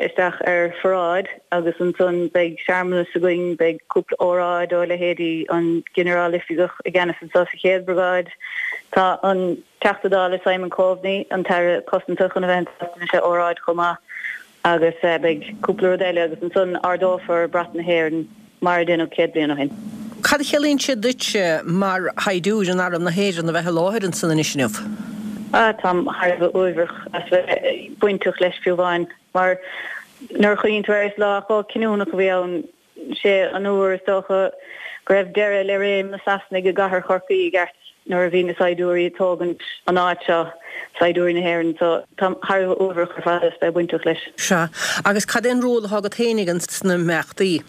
Speaker 4: isteach ar pharáid agus ansan beidh searmanas againn, beidh cúpla óráid ó leithéidí an Ginearál Oifigeach i gceannas anseo sa Chéad Bhriogáid. Tá an Teachta Dála Simon Coveney, an tAire Cosanta chun a bheith anseo déanfaidh sé óráid chomh maith agus beidh cúpla rud eile agus ansan ardófar brat na hÉireann. mar a deineadh 100 bliain ó shin.
Speaker 1: Cad a chiallaíonn sé duitse mar shaighdiúir in Arm na hÉireann a bheith i láthair ansan anois inniu?
Speaker 4: Ah, táim thar a bheith uaibhreach as bheith bainteach leis fiú amháin, mar nuair a chuimhníonn tú air is lá chomh cinniúnach a bhí ann. Sé an uair is dócha go raibh deireadh le réim na Sasanaigh i gcathair Chorcaí i gceart nuair a bhí na saighdiúirí ag tógaint an áit seo, saighdiúirí na hÉireann, so táim thar a bheith uaibhreach ar fad as bheith bainteach leis.
Speaker 1: Sea. Agus cad é an ról atá agat fhéinig ins na himeachtaí?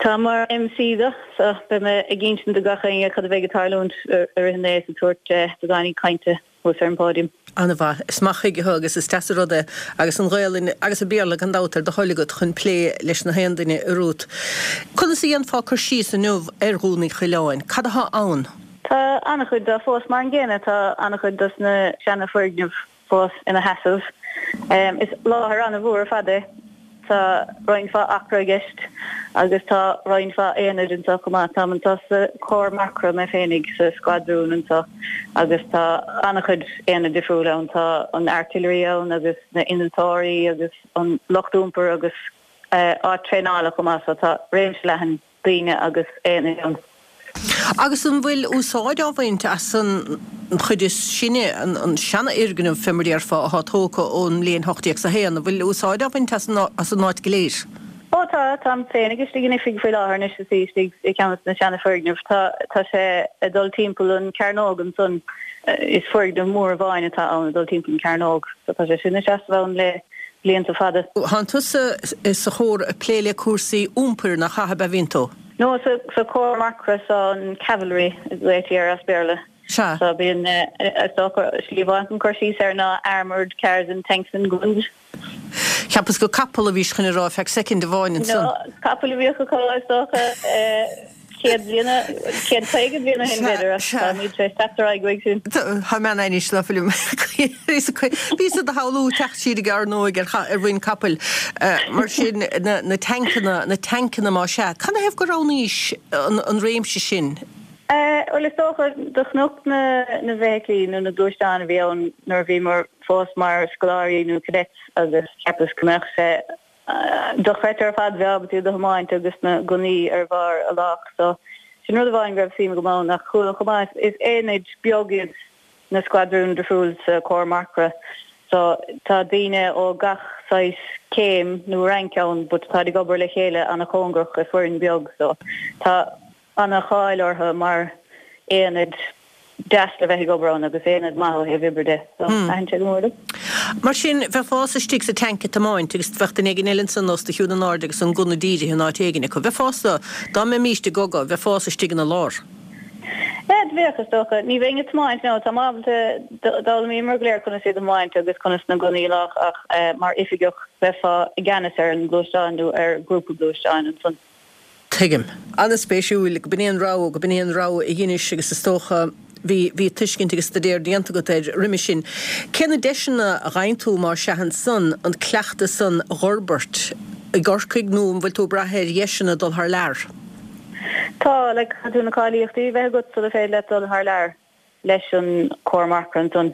Speaker 4: Táim mar MC do, so beidh mé ag insint do gach éinne cad a bheidh ag tarlúint i rith an lae is ag tabhairt beagáinín cainte thuas ar an bpóidiam.
Speaker 1: An-mhaith. Is maith chuige thú agus is deas an rud é agus an Ghaelainn agus an Béarla gan dabht ar do thoil agat chun plé leis na haon duine, a Ruth. Conas a dhéanfá cur síos inniu ar Dhún Uí Choileáin? Cad atá ann?
Speaker 4: Tá an-chuid de fós mar an gcéanna, tá an-chuid dos na seana-fhoirgnimh fós ina sheasamh. Is láthair an-mhór ar fad é. Tá roinnt mhaith acra i gceist agus tá roinnt mhaith aonaid anseo chomh maith. Táim anseo sa Chór Marcra mé féinig sa squadrún anseo agus tá an-chuid aonaid difriúil ann. Tá an artillery ann agus na innealtóirí agus an lucht iompair agus áit traenála chomh maith so tá réimse leathan daoine agus aonaid ann.
Speaker 1: Agus an bhfuil úsáid á bhaint as an chuid is sine, an seanfhoirgneamh fé mar a déarfá, atá tógtha ón mbliain 1801, an bhfuil úsáid á bhaint as an áit go léir?
Speaker 4: Ó tá, táim féinig istigh in oifig faoi láthair anois is í istigh i gceann de na seana-fhoirgnimh. Tá, tá sé ag dul timpeall an cearnóg ansan, is foirgneamh mór amháin atá ann ag dul timpeall an cearnóg, so tá sé sin ag seasamh ann le blianta fada.
Speaker 1: Thánn tusa sa chór ag plé le cúrsaí iompair, nach ea, ab ea bhíonn tú?
Speaker 4: No, sa Chór Marcra, so an Cavalry a ghlaoití air as Béarla.
Speaker 1: Sea.
Speaker 4: So bíonn, is dócha, slí mhaith chun cur síos air ná armoured cars and tanks and guns.
Speaker 1: Cheapas gur capall a bhís chun a rá feadh soicind amháin ansan.
Speaker 4: No, capaill a bhíodh acu is dócha 100 bliain, 150 bliain ó shin b'fhéidir ach táimid tar éis teacht ar aghaidh uaidh sin.
Speaker 1: Tá mé in ainnis ná fuilim. Bhíos do shamhlú teacht siar ag ár n-óige ar mhuin capaill. Mar sin, na tancanna, na tancanna más ea. Canathaobh gur roghnaís an réimse sin?
Speaker 4: Bhuel, is dócha, do chonac na na bhfeithiclí nó na gluaisteáin a bhí ann nuair a bhíomar fós mar scoláirí nó cadets agus cheapas go mbeadh sé dochreidte ar fad bheith ábalta iad a thiomáint agus na gunnaí ar bharr a lách. So, sin rud amháin go raibh suim agam ann ach chuala chomh maith, is aonaid beag iad na squadrúin difriúil sa Chór Marcra so tá daoine ó gach saghas céim nó rank ann but táid ag obair le chéile ana-chóngarach i foireann beag so tá ana-cháil orthu mar aonad deas le bheith ag obair ann agus aonad maith ó thaobh oibre de so thaitin sé go mór liom.
Speaker 1: Mar sin, bheifeása istigh sa tanc ag tiomáint agus bheadh duine éigin eile ansan os do chionn in airde agus an gunna dírithe in áit éigin acu. Bheifeása, dá mbeimíst i gcogadh, bheifeása istigh ina lár.
Speaker 4: Yeah, do bheadh, is dócha. Ní bheinn ag tiomáint, no. Táim ábalta, d'fhoghlaimíomar go léir conas iad a thiomáint agus conas na gunnaí a lách ach mar oifigeach bheifeá i gceannas ar an ngluaisteán nó ar ghrúpa gluaisteáin ansan.
Speaker 1: Tuigim. An-spéisiúil go b'in é an rogha, go b'in é an rogha a dheinis agus is dócha bhí, bhí tuiscint agus staidéar déanta agat air roimhe sin. Cé na deiseanna a fhaigheann tú más ea ansan an cleachtadh san a dh'fhorbairt i gCorcaigh nó an bhfuil tú ag brath ar dheiseanna dul thar lear?
Speaker 4: Tá, like, caithfidh tú na cáilíochtaí a bheith agat sula féidir leat dul thar lear leis an Cór Marcra ansan.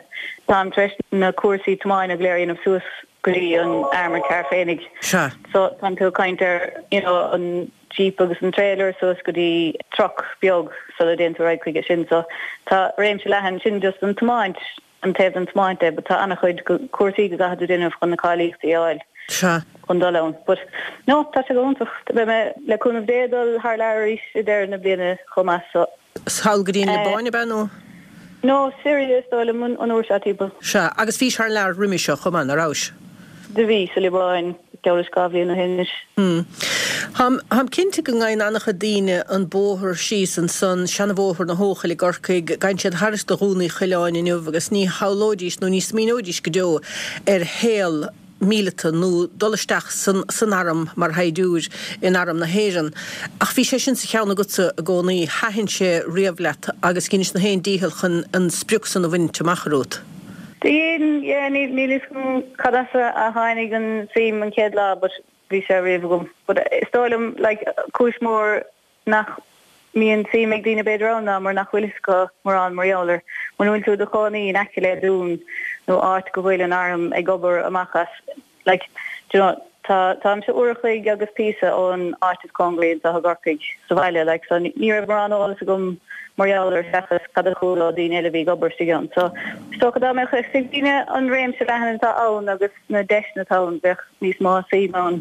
Speaker 4: Táim tar éis na cúrsaí tiomána go léir a dhéanamh suas go dtí an armoured car féinig.
Speaker 1: Sea.
Speaker 4: So, tá tú ag caint ar, you know, an jeep agus an trailer suas go dtí truck beag sula dtéann tú ar aghaidh chuige sin. So, tá réimse leathan, sin just an tiomáint. an taobh den tiomáint de but tá an-chuid cúrsaí go gcaithfidh tú déanamh chun na cáilíochtaí a fháil
Speaker 1: Sea.
Speaker 4: chun dul ann. But no, tá sé go hiontach. Beidh mé, le cúnamh Dé, ag dul thar lear arís i deireadh na bliana chomh maith so.
Speaker 1: Thall go dtí an Liobáin, ab ea, nó?
Speaker 4: No, Syria is dóigh liom an uair seo timpeall.
Speaker 1: Sea, agus bhís thar lear roimhe seo chomh maith, ná rabhais?
Speaker 4: Do bhí, sa Liobáin, geall leis 2 bhliain ó shin anois.
Speaker 1: Hmm. Táim, táim cinnte go ngabhann an-chuid daoine an bóthar síos ansan, seanabhóthar na hEochaille i gCorcaigh, gabhann siad thairis do Dhún Uí Choileáin inniu agus ní shamhlóidís nó ní smaoineoidís go deo ar shaol míleata nó dul isteach san, san arm mar shaighdiúir in Arm na hÉireann. Ach bhí sé sin sa cheann agatsa i gcónaí, thaitin sé riamh leat agus dheinis na haon dícheall chun an sprioc san a bhaint amach, a Ruth.
Speaker 4: Dhein, yeah, níl fhios agam cad as a tháinig an suim an chéad lá but bhí sé riamh agam. But is dóigh liom like cúis mhór nach mbíonn suim ag daoine b'fhéidir ann ná mar nach bhfuil fhios acu mórán mar gheall air. Muna bhfuil tú i do chónaí in aice le dún nó áit go bhfuil an arm ag obair amach as Like, do you know, tá, táimse uair a chloig agus píosa ón áit is cóngaraí anseo i gCorcaigh, sa bhaile, like, so ní raibh mórán eolas agam mar gheall air seachas cad a chuala ó daoine eile a bhí ag obair istigh ann. So, is dócha dá mbeadh fhios ag daoine an réimse leathan atá ann agus na deiseanna atá ann, bheadh níos mó suim ann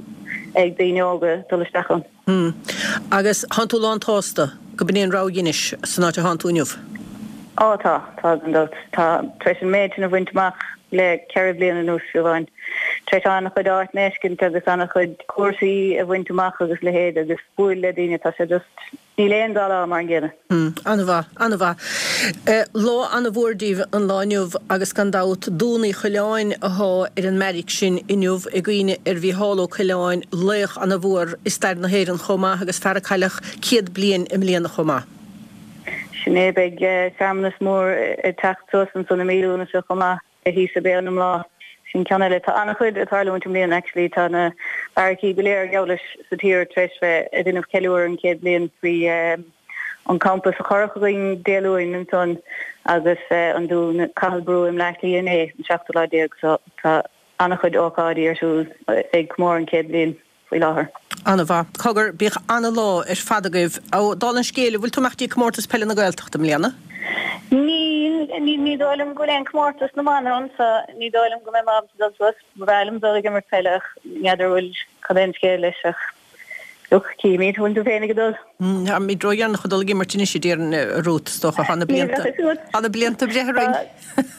Speaker 4: ag daoine óga dul isteach ann.
Speaker 1: Hm. Agus thánn tú lán tsásta go b'in é an rogha a dheinis san áit a thánn tú inniu?
Speaker 4: Á tá, tá gan dabht. Tá, tar éis an méid sin a bhaint amach le ceithre bliana anuas fiú amháin. Tar éis an-chuid áiteanna a fheiscint agus an-chuid cúrsaí a bhaint amach agus leithéid agus bualadh le daoine, tá sé just, níl aon dá lá mar an gcéanna.
Speaker 1: Hm. An-mhaith, an-mhaith. Lá an-mhór daoibh an lá inniu agus gan dabht Dún Uí Choileáin athá ar an mbeairic sin inniu i gcuimhne ar Mhícheál Ó Coileáin, laoch an-mhór i stair na hÉireann chomh maith agus fear a cailleadh 100 bliain i mbliana chomh maith.
Speaker 4: Sin é, beidh searmanas mór ag teacht suas ansan i mí Lúnasa chomh maith. Thíos i Béal na mBláth. Sin ceann eile. Tá an-chuid ag tarlúint i mbliana actually. Tá na beairicí go léir geall leis sa tír tar éis bheith ag déanamh ceiliúradh an chéad bhliain faoi an campa sa Churrach againn Dé Luain ansan agus an Dún Cathal Brugha i mBleá Cliath inné, an seachtú lá déag. So tá an-chuid ócáidí ar siúl ag comóradh an chéad bhliain. faoi láthair.
Speaker 1: Ana-mhaith. Cogar, bíodh ana-lá ar fad agaibh. Ó, dála an scéil, an bhfuil tú ag imeacht dtí Comórtas Peile na Gaeltachta i mbliana?
Speaker 4: Níl, ní dóigh liom go bhfuil aon comórtas na mban ann so ní dóigh liom go mbeidh mé ábalta dul suas. Ba bhreá liom dul ag imirt peile ach n'fheadar bhfuil cad é an scéal leis ach look, cífimid, bhfuil tú féin ag dul?
Speaker 1: Táimid ródheireanach ag dul ag imirt anois a déarfainn, a Ruth, is dócha. Tá na blianta, tá na blianta ag breith orainn.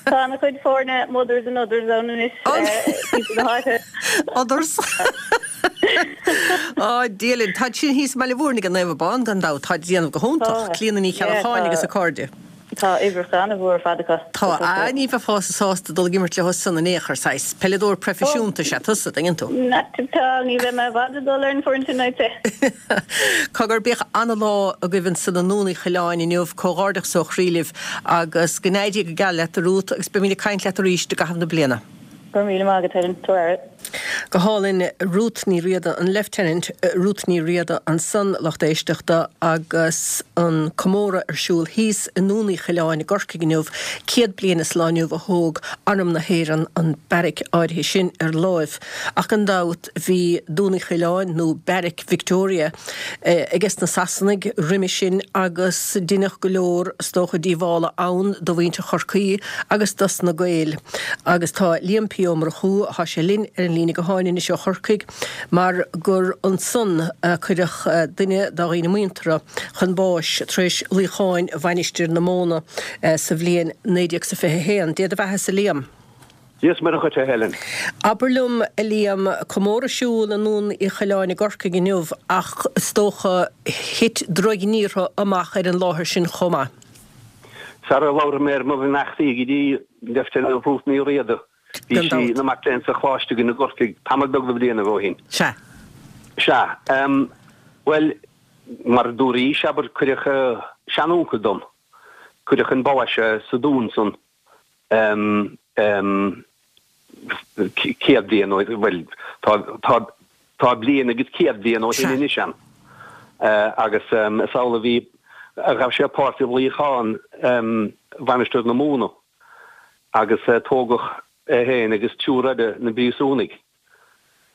Speaker 4: Tá ana chuid foirne mothers and others ann anois timpeall na háite.
Speaker 1: Others. Á, Dia linn. Táid sin thíos i mBaile Mhúirne ag Naomh Abán gan dabht. Táid ag déanamh go hiontach. Clíona Ní Cheallacháin agus a cairde.
Speaker 4: Tá uimhreacha ana-mhór ar fad acu.
Speaker 1: Tá. Á, ní bheifeása sásta dul ag imirt leo san in aon chor. Saghas peileadóir proifisiúnta is ea tusa, dtuigeann tú.
Speaker 4: Tá, ní bheidh mé i bhfad ag dul ar an bhfoireann sin, I'd say.
Speaker 1: Cogar, bíodh ana-lá agaibh ansan i nDún Uí Choileáin inniu. Comhghairdeachas ó chroí libh. Agus go n-éirí go geal leat, a Ruth, agus beimid ag caint leat arís i gcaitheamh na bliana.
Speaker 4: Go raibh míle maith agat, Helen. Tabhair aire.
Speaker 1: Go hálainn, Ruth Ní Riada, an Lieutenant Ruth Ní Riada ansan, lucht éisteachta, agus an comóradh ar siúl thíos i nDún Uí Choileáin i gCorcaigh inniu, 100 bliain is lá inniu a thóg Arm na hÉireann an beairic áirithe sin ar láimh. Ach gan dabht bhí Dún Uí Choileáin, nó Beairic Victoria, aiges na Sasanaigh roimhe sin agus deineadh go leor, is dócha, díobhála ann do mhuintir Chorcaí agus dos na Gaeil. Agus tá Liam P. Ó Murchú, thá sé linn ar an líne gutháin anois ó Chorcaigh mar gur ansan a cuireadh duine dá dhaoine muinteartha chun báis tar éis luíocháin Mhainistir na Móna sa bhliain 1921. Dé do bheathasa, a Liam.
Speaker 5: Dia is Muire dhuit, a Helen.
Speaker 1: Abair liom, a Liam, comóradh ar siúl i nDún Uí Choileáin i gCorcaigh inniu ach is dócha thit drochghníortha amach ar an láthair sin chomh maith.
Speaker 5: Sara labhraí mé ar mo bheannachtaí go dtí Lieutenant Ruth Ní Riada, bhí
Speaker 1: Gan
Speaker 5: sí
Speaker 1: dabht.
Speaker 5: ina mac léinn sa Choláiste againn i gCorcaigh tamall beag de bhlianaibh ó shin.
Speaker 1: Sea.
Speaker 5: Sea. Bhuel, mar a dúraís, abair, cuireadh seanúncail dom, cuireadh chun báis é sa dún san. 100 bliain ó, bhuel, tá, tá, tá bliain agus 100 bliain ó shin anois ann. Agus is amhlaidh a bhí, a ghabh sé páirt i luíochán Mhainistir na Móna agus tógadh é féin agus triúr eile 'na bpríosúnaigh.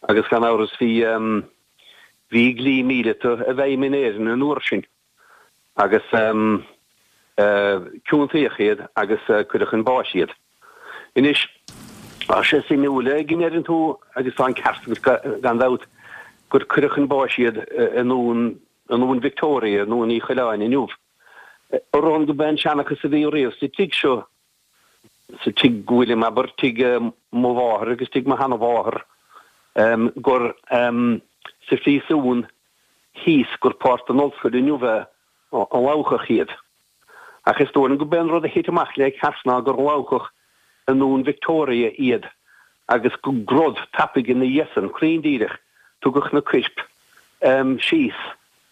Speaker 5: Agus gan amhras bhí, bhí dlí míleata i bhfeidhm in Éirinn an uair sin. agus ciontaíodh iad agus cuireadh chun báis iad. Anois, tá sé suimiúil go ndeireann tú, agus tá an ceart agat gan dabht, gur cuireadh chun báis iad i nDún, i nDún Victoria, i nDún Uí Choileáin inniu. Araon go b'é an seanchas a bhí riamh sa tigh seo, sa tigh go bhfuilim, abair, tigh mo mháthar agus tigh mo sheana-mháthar, gur sa phríosún thíos gur páirt den ollscoil inniu é a lobhadh iad. Ach is dóigh liom go b'é an rud a thit amach le ceart ná gur lobhadh i nDún Victoria iad agus go grod tapaidh ina dhiaidh san, cruinn díreach, tugadh na coirp síos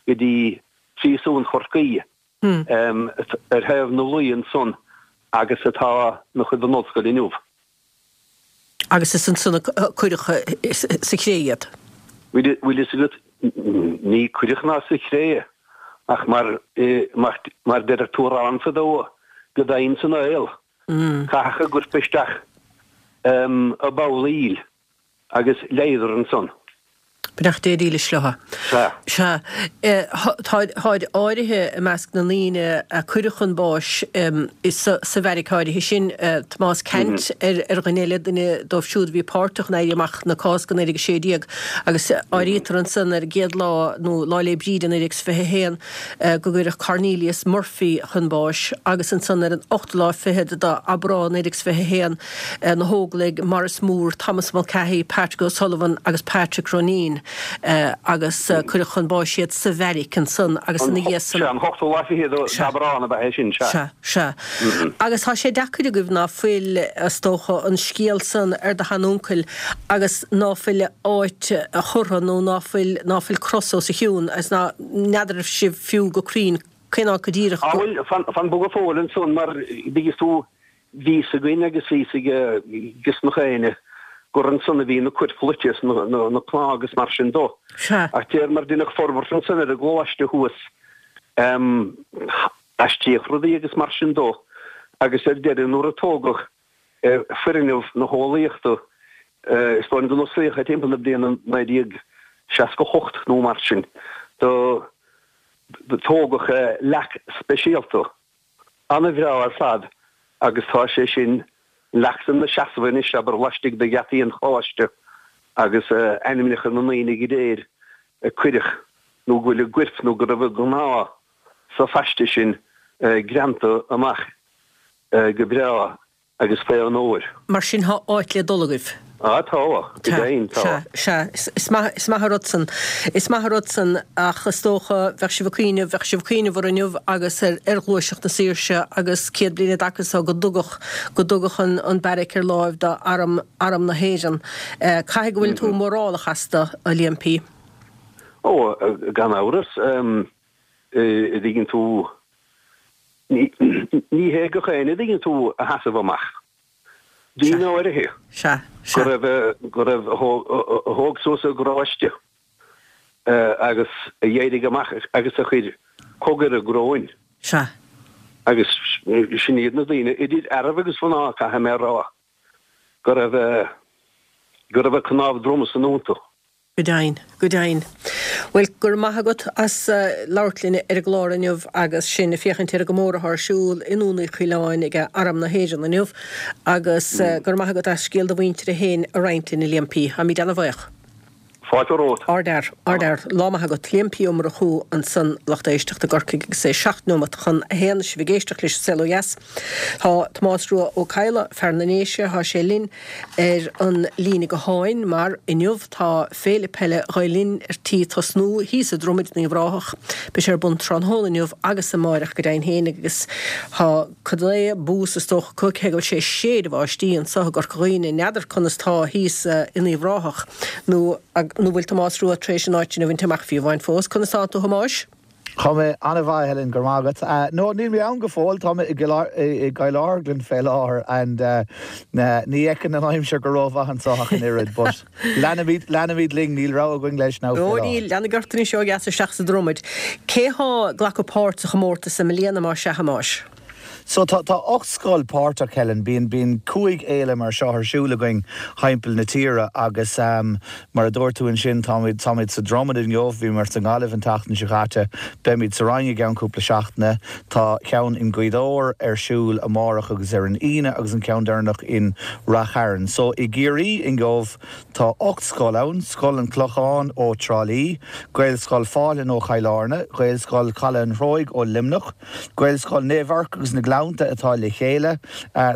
Speaker 5: go dtí Príosún Chorcaí ar thaobh na Laoi ansan agus atá ina chuid den ollscoil inniu.
Speaker 1: Agus is ansan a cuireadh sa chré iad.
Speaker 5: Bhfuil fhios agat, ní cuireadh ná sa chré, ach mar, mar deir tú amhrán fadó, go domhain san aol. Caitheadh a gcoirp isteach i bpoll aoil. Agus leáadar ansan.
Speaker 1: Beannacht Dé dílis leo.
Speaker 5: Sea.
Speaker 1: Sea. Táid áirithe i measc na ndaoine a cuireadh chun báis sa bheairic áirithe sin, Tomás Ceannt ar dhuine eile, duine dóibh siúd a bhí páirteach in Éirí Amach na Cásca 1916 agus áirítear ansan ar an gcéad lá nó Lá 'le Bríde 1921 go gcuireadh Cornelius Murphy chun báis agus ansan ar an ochtú lá fichead d'Aibreán 1921 na hÓglaigh, Maurice Moore, Thomas Mulcahy, Patrick O'Sullivan agus Patrick Roneen agus cuireadh chun báis iad sa bheairic ansan agus ina dhiaidh san.
Speaker 5: Sea, an t-ochtú lá fichead d'Aibreán ab ea é sin, sea.
Speaker 1: Sea, sea. Agus tá sé deacair agaibh ná fuil, is dócha, an scéal san ar do sheanuncail agus ná fuil a áit curtha nó ná fuil, ná fuil cros os a chionn agus ná, n'fheadar sibh fiú go cruinn cén áit go díreach
Speaker 5: go. Á bhuel, fan, fan go fóill ansan mar, dtuigeann tú, Bhí fhios againn agus bhí fhios ag nach éinne. Gur ansan a bhí na cuirp loite is na cnámha agus mar sin dó.
Speaker 1: Sea.
Speaker 5: Ach deir mar deineadh forbairt ansan ar an gcoláiste thuas, aistríodh rudaí agus mar sin dó agus ar deireadh nuair a tógadh foirgneamh na heolaíochta, is dóigh liom go n-osclaíodh é timpeall na bliana 1968 nó mar sin, do tógadh leac speisialta. Ana-bhreá ar fad agus tá sé sin leac san 'na seasamh anois, abair, laistigh de gheataí an choláiste agus ainmneacha na ndaoine go léir a cuireadh nó go bhfuil a gcuirp nó go raibh a gcnámha sa phaiste sin greanta amach go breá agus fé onóir.
Speaker 1: Mar sin thá áit le dul agaibh.
Speaker 5: Á tá, go deimhin tá.
Speaker 1: Sea, sea, is maith, is maith an rud san, is maith an rud san ach is dócha bheadh sibh ag cuimhneamh, bheadh sibh ag cuimhneamh ar inniu agus ar, ar Ghluaiseacht na Saoirse agus 100 bliain i dtaca so go dtugadh, go dtugadh an, an beairic ar láimh do arm, arm na hÉireann. Caithfidh go bhfuil tú mórálach astu, a Liam P.
Speaker 5: Ó, gan amhras, a dtuigeann tú, ní hé gach éinne a dtuigeann tú a sheasamh amach. Daoine áirithe go raibh, go raibh, a thóg suas a gparáiste agus a d'éirigh amach agus a chuir cogadh ar a gcróin.
Speaker 1: Sea.
Speaker 5: Agus sin iad na daoine, idir fhearaibh agus mhná, caithfidh mé a rá, go raibh, go raibh a cnámh droma san iontu.
Speaker 1: Go deimhin, go deimhin. Bhuel, go raibh maith agat as labhairt linn ar an gclár inniu agus sinn ag féachaint ar an gcomóradh atá ar siúl i nDún Uí Choileáin ag Arm na hÉireann inniu agus go raibh maith agat as scéal do mhuintire féin a roinnt linn, a Liam P. Táimid ana-bhuíoch.
Speaker 5: Fáilte romhat.
Speaker 1: Ardfhear, ardfhear. Lá maith agat. Liam P Ó Murchú ansan, lucht éisteachta i gCorcaigh agus é 7 neomat chun a haon. Sibh ag éisteacht leis An Saol Ó Dheas. Tá Tomás Rua Ó Cadhla, fear na nDéise, tá sé linn. ar an líne gutháin mar inniu tá Féile Peile Ghael Linn ar tí tosnú thíos i Dromaid in Uíbh Ráthach. Beidh sé ar bun tráthnóna inniu agus amáireach go deimhin féin agus tá cad é bús is dócha acu cé go bhfuil sé ag séideadh báistí anseo i gCorca Dhuibhne. N'fheadar conas tá thíos in Uíbh Ráthach nó nó bhfuil Tomás Rua tar éis an áit sin a bhaint amach fiú amháin fós. Conas tánn tú a Thomáis?
Speaker 6: Tá mé an-mhaith, Helen, go raibh maith agat. No, níl mé ann go fóill, tá mé i gCill Orglan fé láthair and ní fheiceann an aimsir go rómhaith anseo ach an oiread, but leanfaimid, leanfaimid linn, níl rogha againn leis now fé
Speaker 1: láthair. Ó níl, leanaigí ort anois ó dheas isteach sa Dromaid. Cé thá ag glacadh páirt sa chomórtas i mbliana más ea, a Thomáis?
Speaker 6: So tá tá 8 scoil páirteach, Helen. Bíonn bíonn 5 fhéile mar seo ar siúl againn thimpeall na tíre agus mar a dúirt tú ansin táimid táimid sa Dromad inniu, bhíomar sa nGaillimh an tseachtain seo caite, beimid sa Rinn i gceann cúpla seachtaine. Tá ceann in Gaoth Dobhair ar siúl amárach agus ar an Aoine agus an ceann deireanach in Rath Chairn. So i gCiarraí inniu tá 8 scoil ann, Scoil an Chlocháin ó Trá Lí, Gaelscoil Fáithleann ó Chill Airne, Gaelscoil Chaladh an Threoigh ó Luimneach, Gaelscoil Naomh Eirc agus na Gleannta atá le chéile,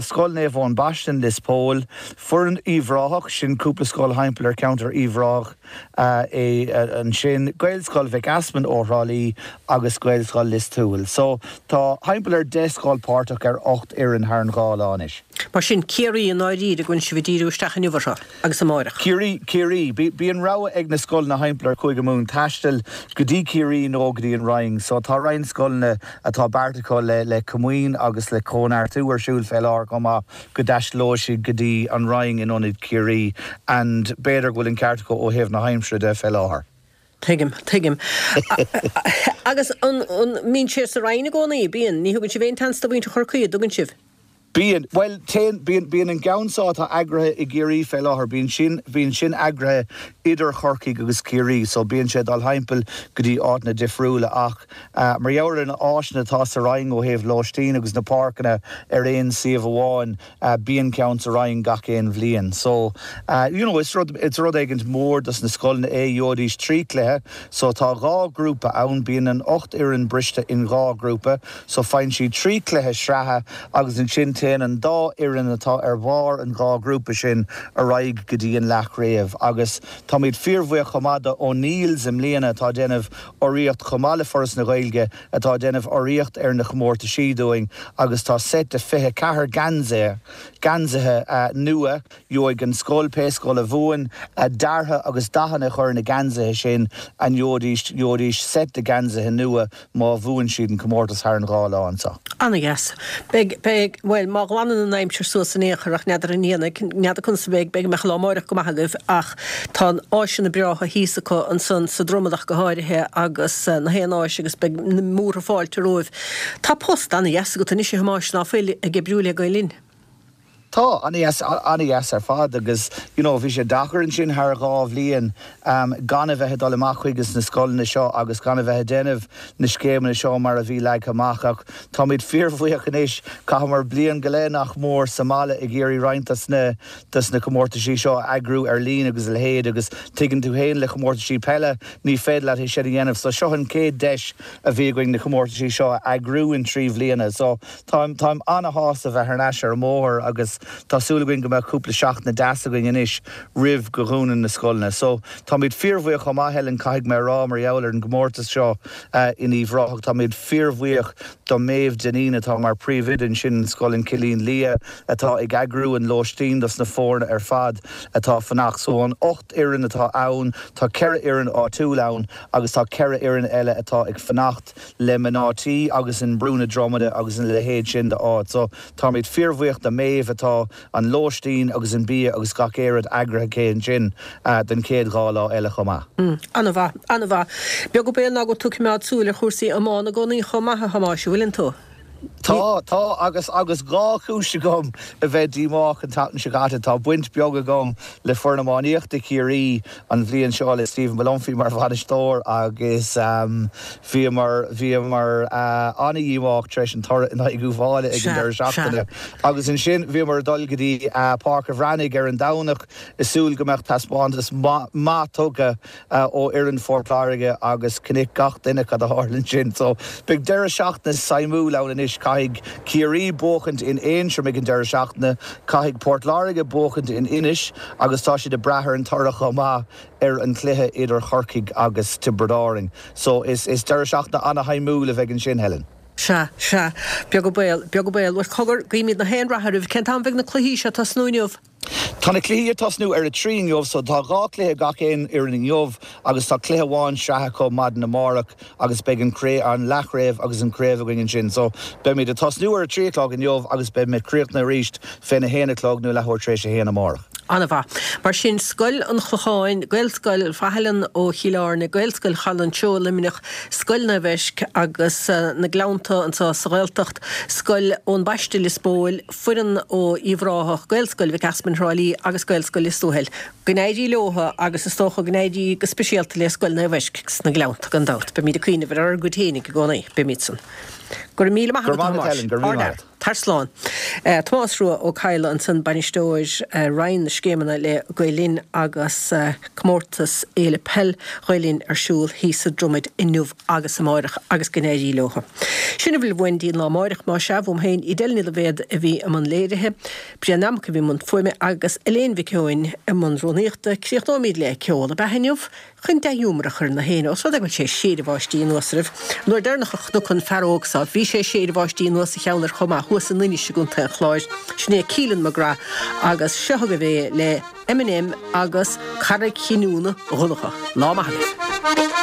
Speaker 6: Scoil Naomh Eoin Baiste in Lios Póil, foireann Uíbh Ráthach, sin cúpla scoil thimpeall ar cheantar Uíbh Ráthach é ansin, Gaelscoil Mhic Easmainn ó Thrá Lí agus Gaelscoil Lios Tuathail. So tá thimpeall ar 10 scoil páirteach ar 8 fhoireann thar an dhá lá anois.
Speaker 1: Mar sin, Ciarraí i ndáiríre go bhfuil sibh ag díriú isteach inniu orthu agus amáireach.
Speaker 6: Ciarraí, Ciarraí. Bíonn rogha ag na scoileanna thimpeall ar Chúige Mumhan taisteal go dtí Ciarraí nó go dtí an Rinn. So tá roinnt scoileanna atá beartaithe acu le le Comaoin agus le Cóineartú ar siúl fé láthair chomh maith go dtaistealóidh siad go dtí an Rinn in ionad Ciarraí and b'fhéidir go bhfuil an ceart acu ó thaobh na haimsire de fé láthair.
Speaker 1: Tuigim, tuigim. Agus an mbíonn sé sa Rinn i gcónaí? Bíonn. Ní thugann sibh aon tseans do mhuintir Chorcaí, an dtugann sibh?
Speaker 6: Bíonn. Bhuel, téann, bíonn, bíonn an gceann seo atá eagraithe i gCiarraí fé láthair, bíonn sin, bíonn sin eagraithe idir Chorcaigh agus Ciarraí, so bíonn sé ag dul thimpeall go dtí áiteanna difriúla ach mar gheall ar na áiseanna atá sa Rinn ó thaobh lóistín agus na páirceanna ar aon suíomh amháin, Bíonn ceann sa Rinn gach aon bhliain. So, you know, is rud, is rud éigint mór dos na scoileanna é, gheobhaidís 3 cluiche. So tá dhá ghrúpa ann, bíonn an 8 fhoireann briste in dhá ghrúpa. So faigheann siad 3 cluiche sraithe agus ansin téann an dá fhoireann atá ar bharr an dhá ghrúpa sin ar aghaidh go dtí an leathchraobh. Agus táimid fíorbhuíoch chomh maith do O'Neill's i mbliana atá ag déanamh urraíocht chomh maith le Foras na Gaeilge atá ag déanamh urraíocht ar na chomórtaisí dúinn agus tá seit de 24 geansaithe, geansaithe nua, gheobhaidh an scoil, pé scoil a bhuann, deartha agus dathanna a chur ar na geansaithe sin and gheobhaidís, gheobhaidís seit de geansaithe nua má bhuann siad an comórtas thar an dhá lá anseo.
Speaker 1: Ana-dheas. Beidh, beidh, bhuel. má ghlanann an aimsir suas in aon chor, ach n'fheadar an ndéanfaidh, n'fheadar conas a bheidh, b'fhéidir go mbeadh lá amáireach go maith agaibh ach tá áiseanna breátha thíos acu ansan sa Dromad ach go háirithe agus na haon áis agus beidh na múrtha fáilte romhaibh. Tá post ana-dheas agat anois a Thomáis, ná fuil, ag oibriú le Gael Linn?
Speaker 6: Tá, ana-dheas, ana-dheas ar fad agus you know bhí sé deacair ansin thar 2 bhliain gan a bheith ag dul amach chuiges na scoileanna seo agus gan a bheith ag déanamh na scéimeanna seo mar a bhí leagtha amach ach táimid fíorbhuíoch anois, chaitheamar bliain go leith nach mór sa mbaile ag iarraidh roinnt dos na dos na comórtaisí seo a eagrú ar líne agus a leithéid agus tuigeann tú fhéin le comórtaisí peile ní féidir leat é sin a dhéanamh so seo an chéad deis a bhí againn na comórtaisí seo a eagrú in 3 bhliana so Táim, táim ana-shásta bheith thar n-ais ar an mbóthar agus tá súil againn go mbeadh cúpla seachtaine deas againn anois roimh go dhúnann na scoileanna. So, táimid fíorbhuíoch chomh maith, Helen, caithfidh mé a rá, mar gheall ar an gcomórtas seo in Uíbh Ráthach. Táimid fíorbhuíoch do Méabh Dineen atá mar príomhoide ansin in Scoil an Chillín Liath atá ag eagrú an lóistín dos na foirne ar fad atá fanacht. So, an 8 fhoireann atá ann, tá 4 fhoireann áitiúil ann agus tá 4 fhoireann eile atá ag fanacht. le mná tí agus in Brú na Dromada agus ina leithéid sin de áit. So táimid fíorbhuíoch do Méabh atá an lóistín agus an bia agus gach aon rud eagraithe aici ansin don chéad 2 lá eile chomh maith.
Speaker 1: An-mhaith, an-mhaith. Beag an baol ná go bhfuil tú ag coimeád súil ar chúrsaí iomána i gcónaí chomh maith, a Thomáis, an bhfuileann tú?
Speaker 6: Tá, tá, agus, agus 2 chúis agam a bheith díomách an tseachtain seo caite. Tá baint beag agam le foireann iománaíochta Chiarraí an bhliain seo le Stephen Molumphy mar bhainisteoir agus bhíomar, bhíomar an-dhíomách tar éis an toradh in aghaidh Uíbh Fhailí ag an deireadh seachtaine. Agus ansin bhíomar ag dul go dtí Páirc a' Bhreathnaigh ar an Domhnach ag súil go mbeadh taispeántas maith tugtha ó fhoireann Phort Láirge agus chonaic gach duine cad a tharla ansin. So beidh deireadh seachtaine suimiúil ann anois. Caithfidh Ciarraí buachaint in Aontroim ag an deireadh seachtaine, caithfidh Port Láirge buachaint in Inis agus tá siad ag brath ar an toradh chomh maith ar an chluiche idir Chorcaigh agus Tiobraid Árainn. So is deireadh seachtaine ana-shuimiúil a bheidh ansin, Helen.
Speaker 1: Sea, sea. Beag an baol, beag an baol. Bhuel, cogar, guímid na haon rath oraibh. Cén t-am a bheidh na cluichí seo ag tosnú inniu?
Speaker 6: Tá na cluichí ag tosnú ar a 3 inniu so tá 2 cluiche ag gach aon fhoireann inniu agus tá cluiche amháin sraithe acu maidin amárach agus beidh an craobh, an leathchraobh agus an craobh againn ansin. So beimid ag tosnú ar a 3 a chlog inniu agus beimid críochnaithe arís féna haon a chlog nó leathuair tar éis a haon amárach.
Speaker 1: An-mhaith. Mar sin, Scoil an Chlocháin, Gaelscoil Mhaithleann ó Chill Airne, Gaelscoil Chaladh an tSeoighe Luimneach, Scoil Naomh Eisc agus na Gleannta anseo sa Ghaeltacht, Scoil Eoin Baiste Lios Póil, Foireann ó Uíbh Ráthach, Gaelscoil Mhic Easmainn Thrá Lí agus Gaelscoil Lios Tuathail. Go n-éirí leotha agus is dócha go n-éirí go speisialta le Scoil Naomh Eisc sna Gleannta gan dabht. Beimid ag cuimhneamh ar ár gcuid fhéinig i gcónaí. Beimid san. Go raibh míle maith
Speaker 6: agat a Thomáis. Go raibh maith agat.
Speaker 1: Tar slán. Tomás Rua Ó Cadhla ansan, Bainisteoir Roinn na Scéimeanna le Gael Linn agus comórtas Fhéile Peil Ghael Linn ar siúl thíos sa Dromaid inniu agus amáireach agus go n-éirí leo. Sin a bhfuil uainn dtí an lá amáireach, más ea, uaim féin, Edel Ní Loibhéad a bhí i mbun léirithe, Brian Nammock a bhí i mbun fuaime agus Elaine Mhic Eoin i mbun rúnaíochta. Críochnóimid le ceol ab ea inniu chun dea-ghiúmar a chur ar na héinne, os rud é go bhfuil sé ag séideadh báistí anuas oraibh. An uair deireanach a chonac an fear óg seo, bhí sé ag séideadh báistí anuas a cheann air chomh maith, thuas in Inis i gContae an Chláir. Sin é Keelan McGrath agus seo agaibh é le. Eminem agus Carraig Chinniúna Dhonncha. Lá maith agaibh.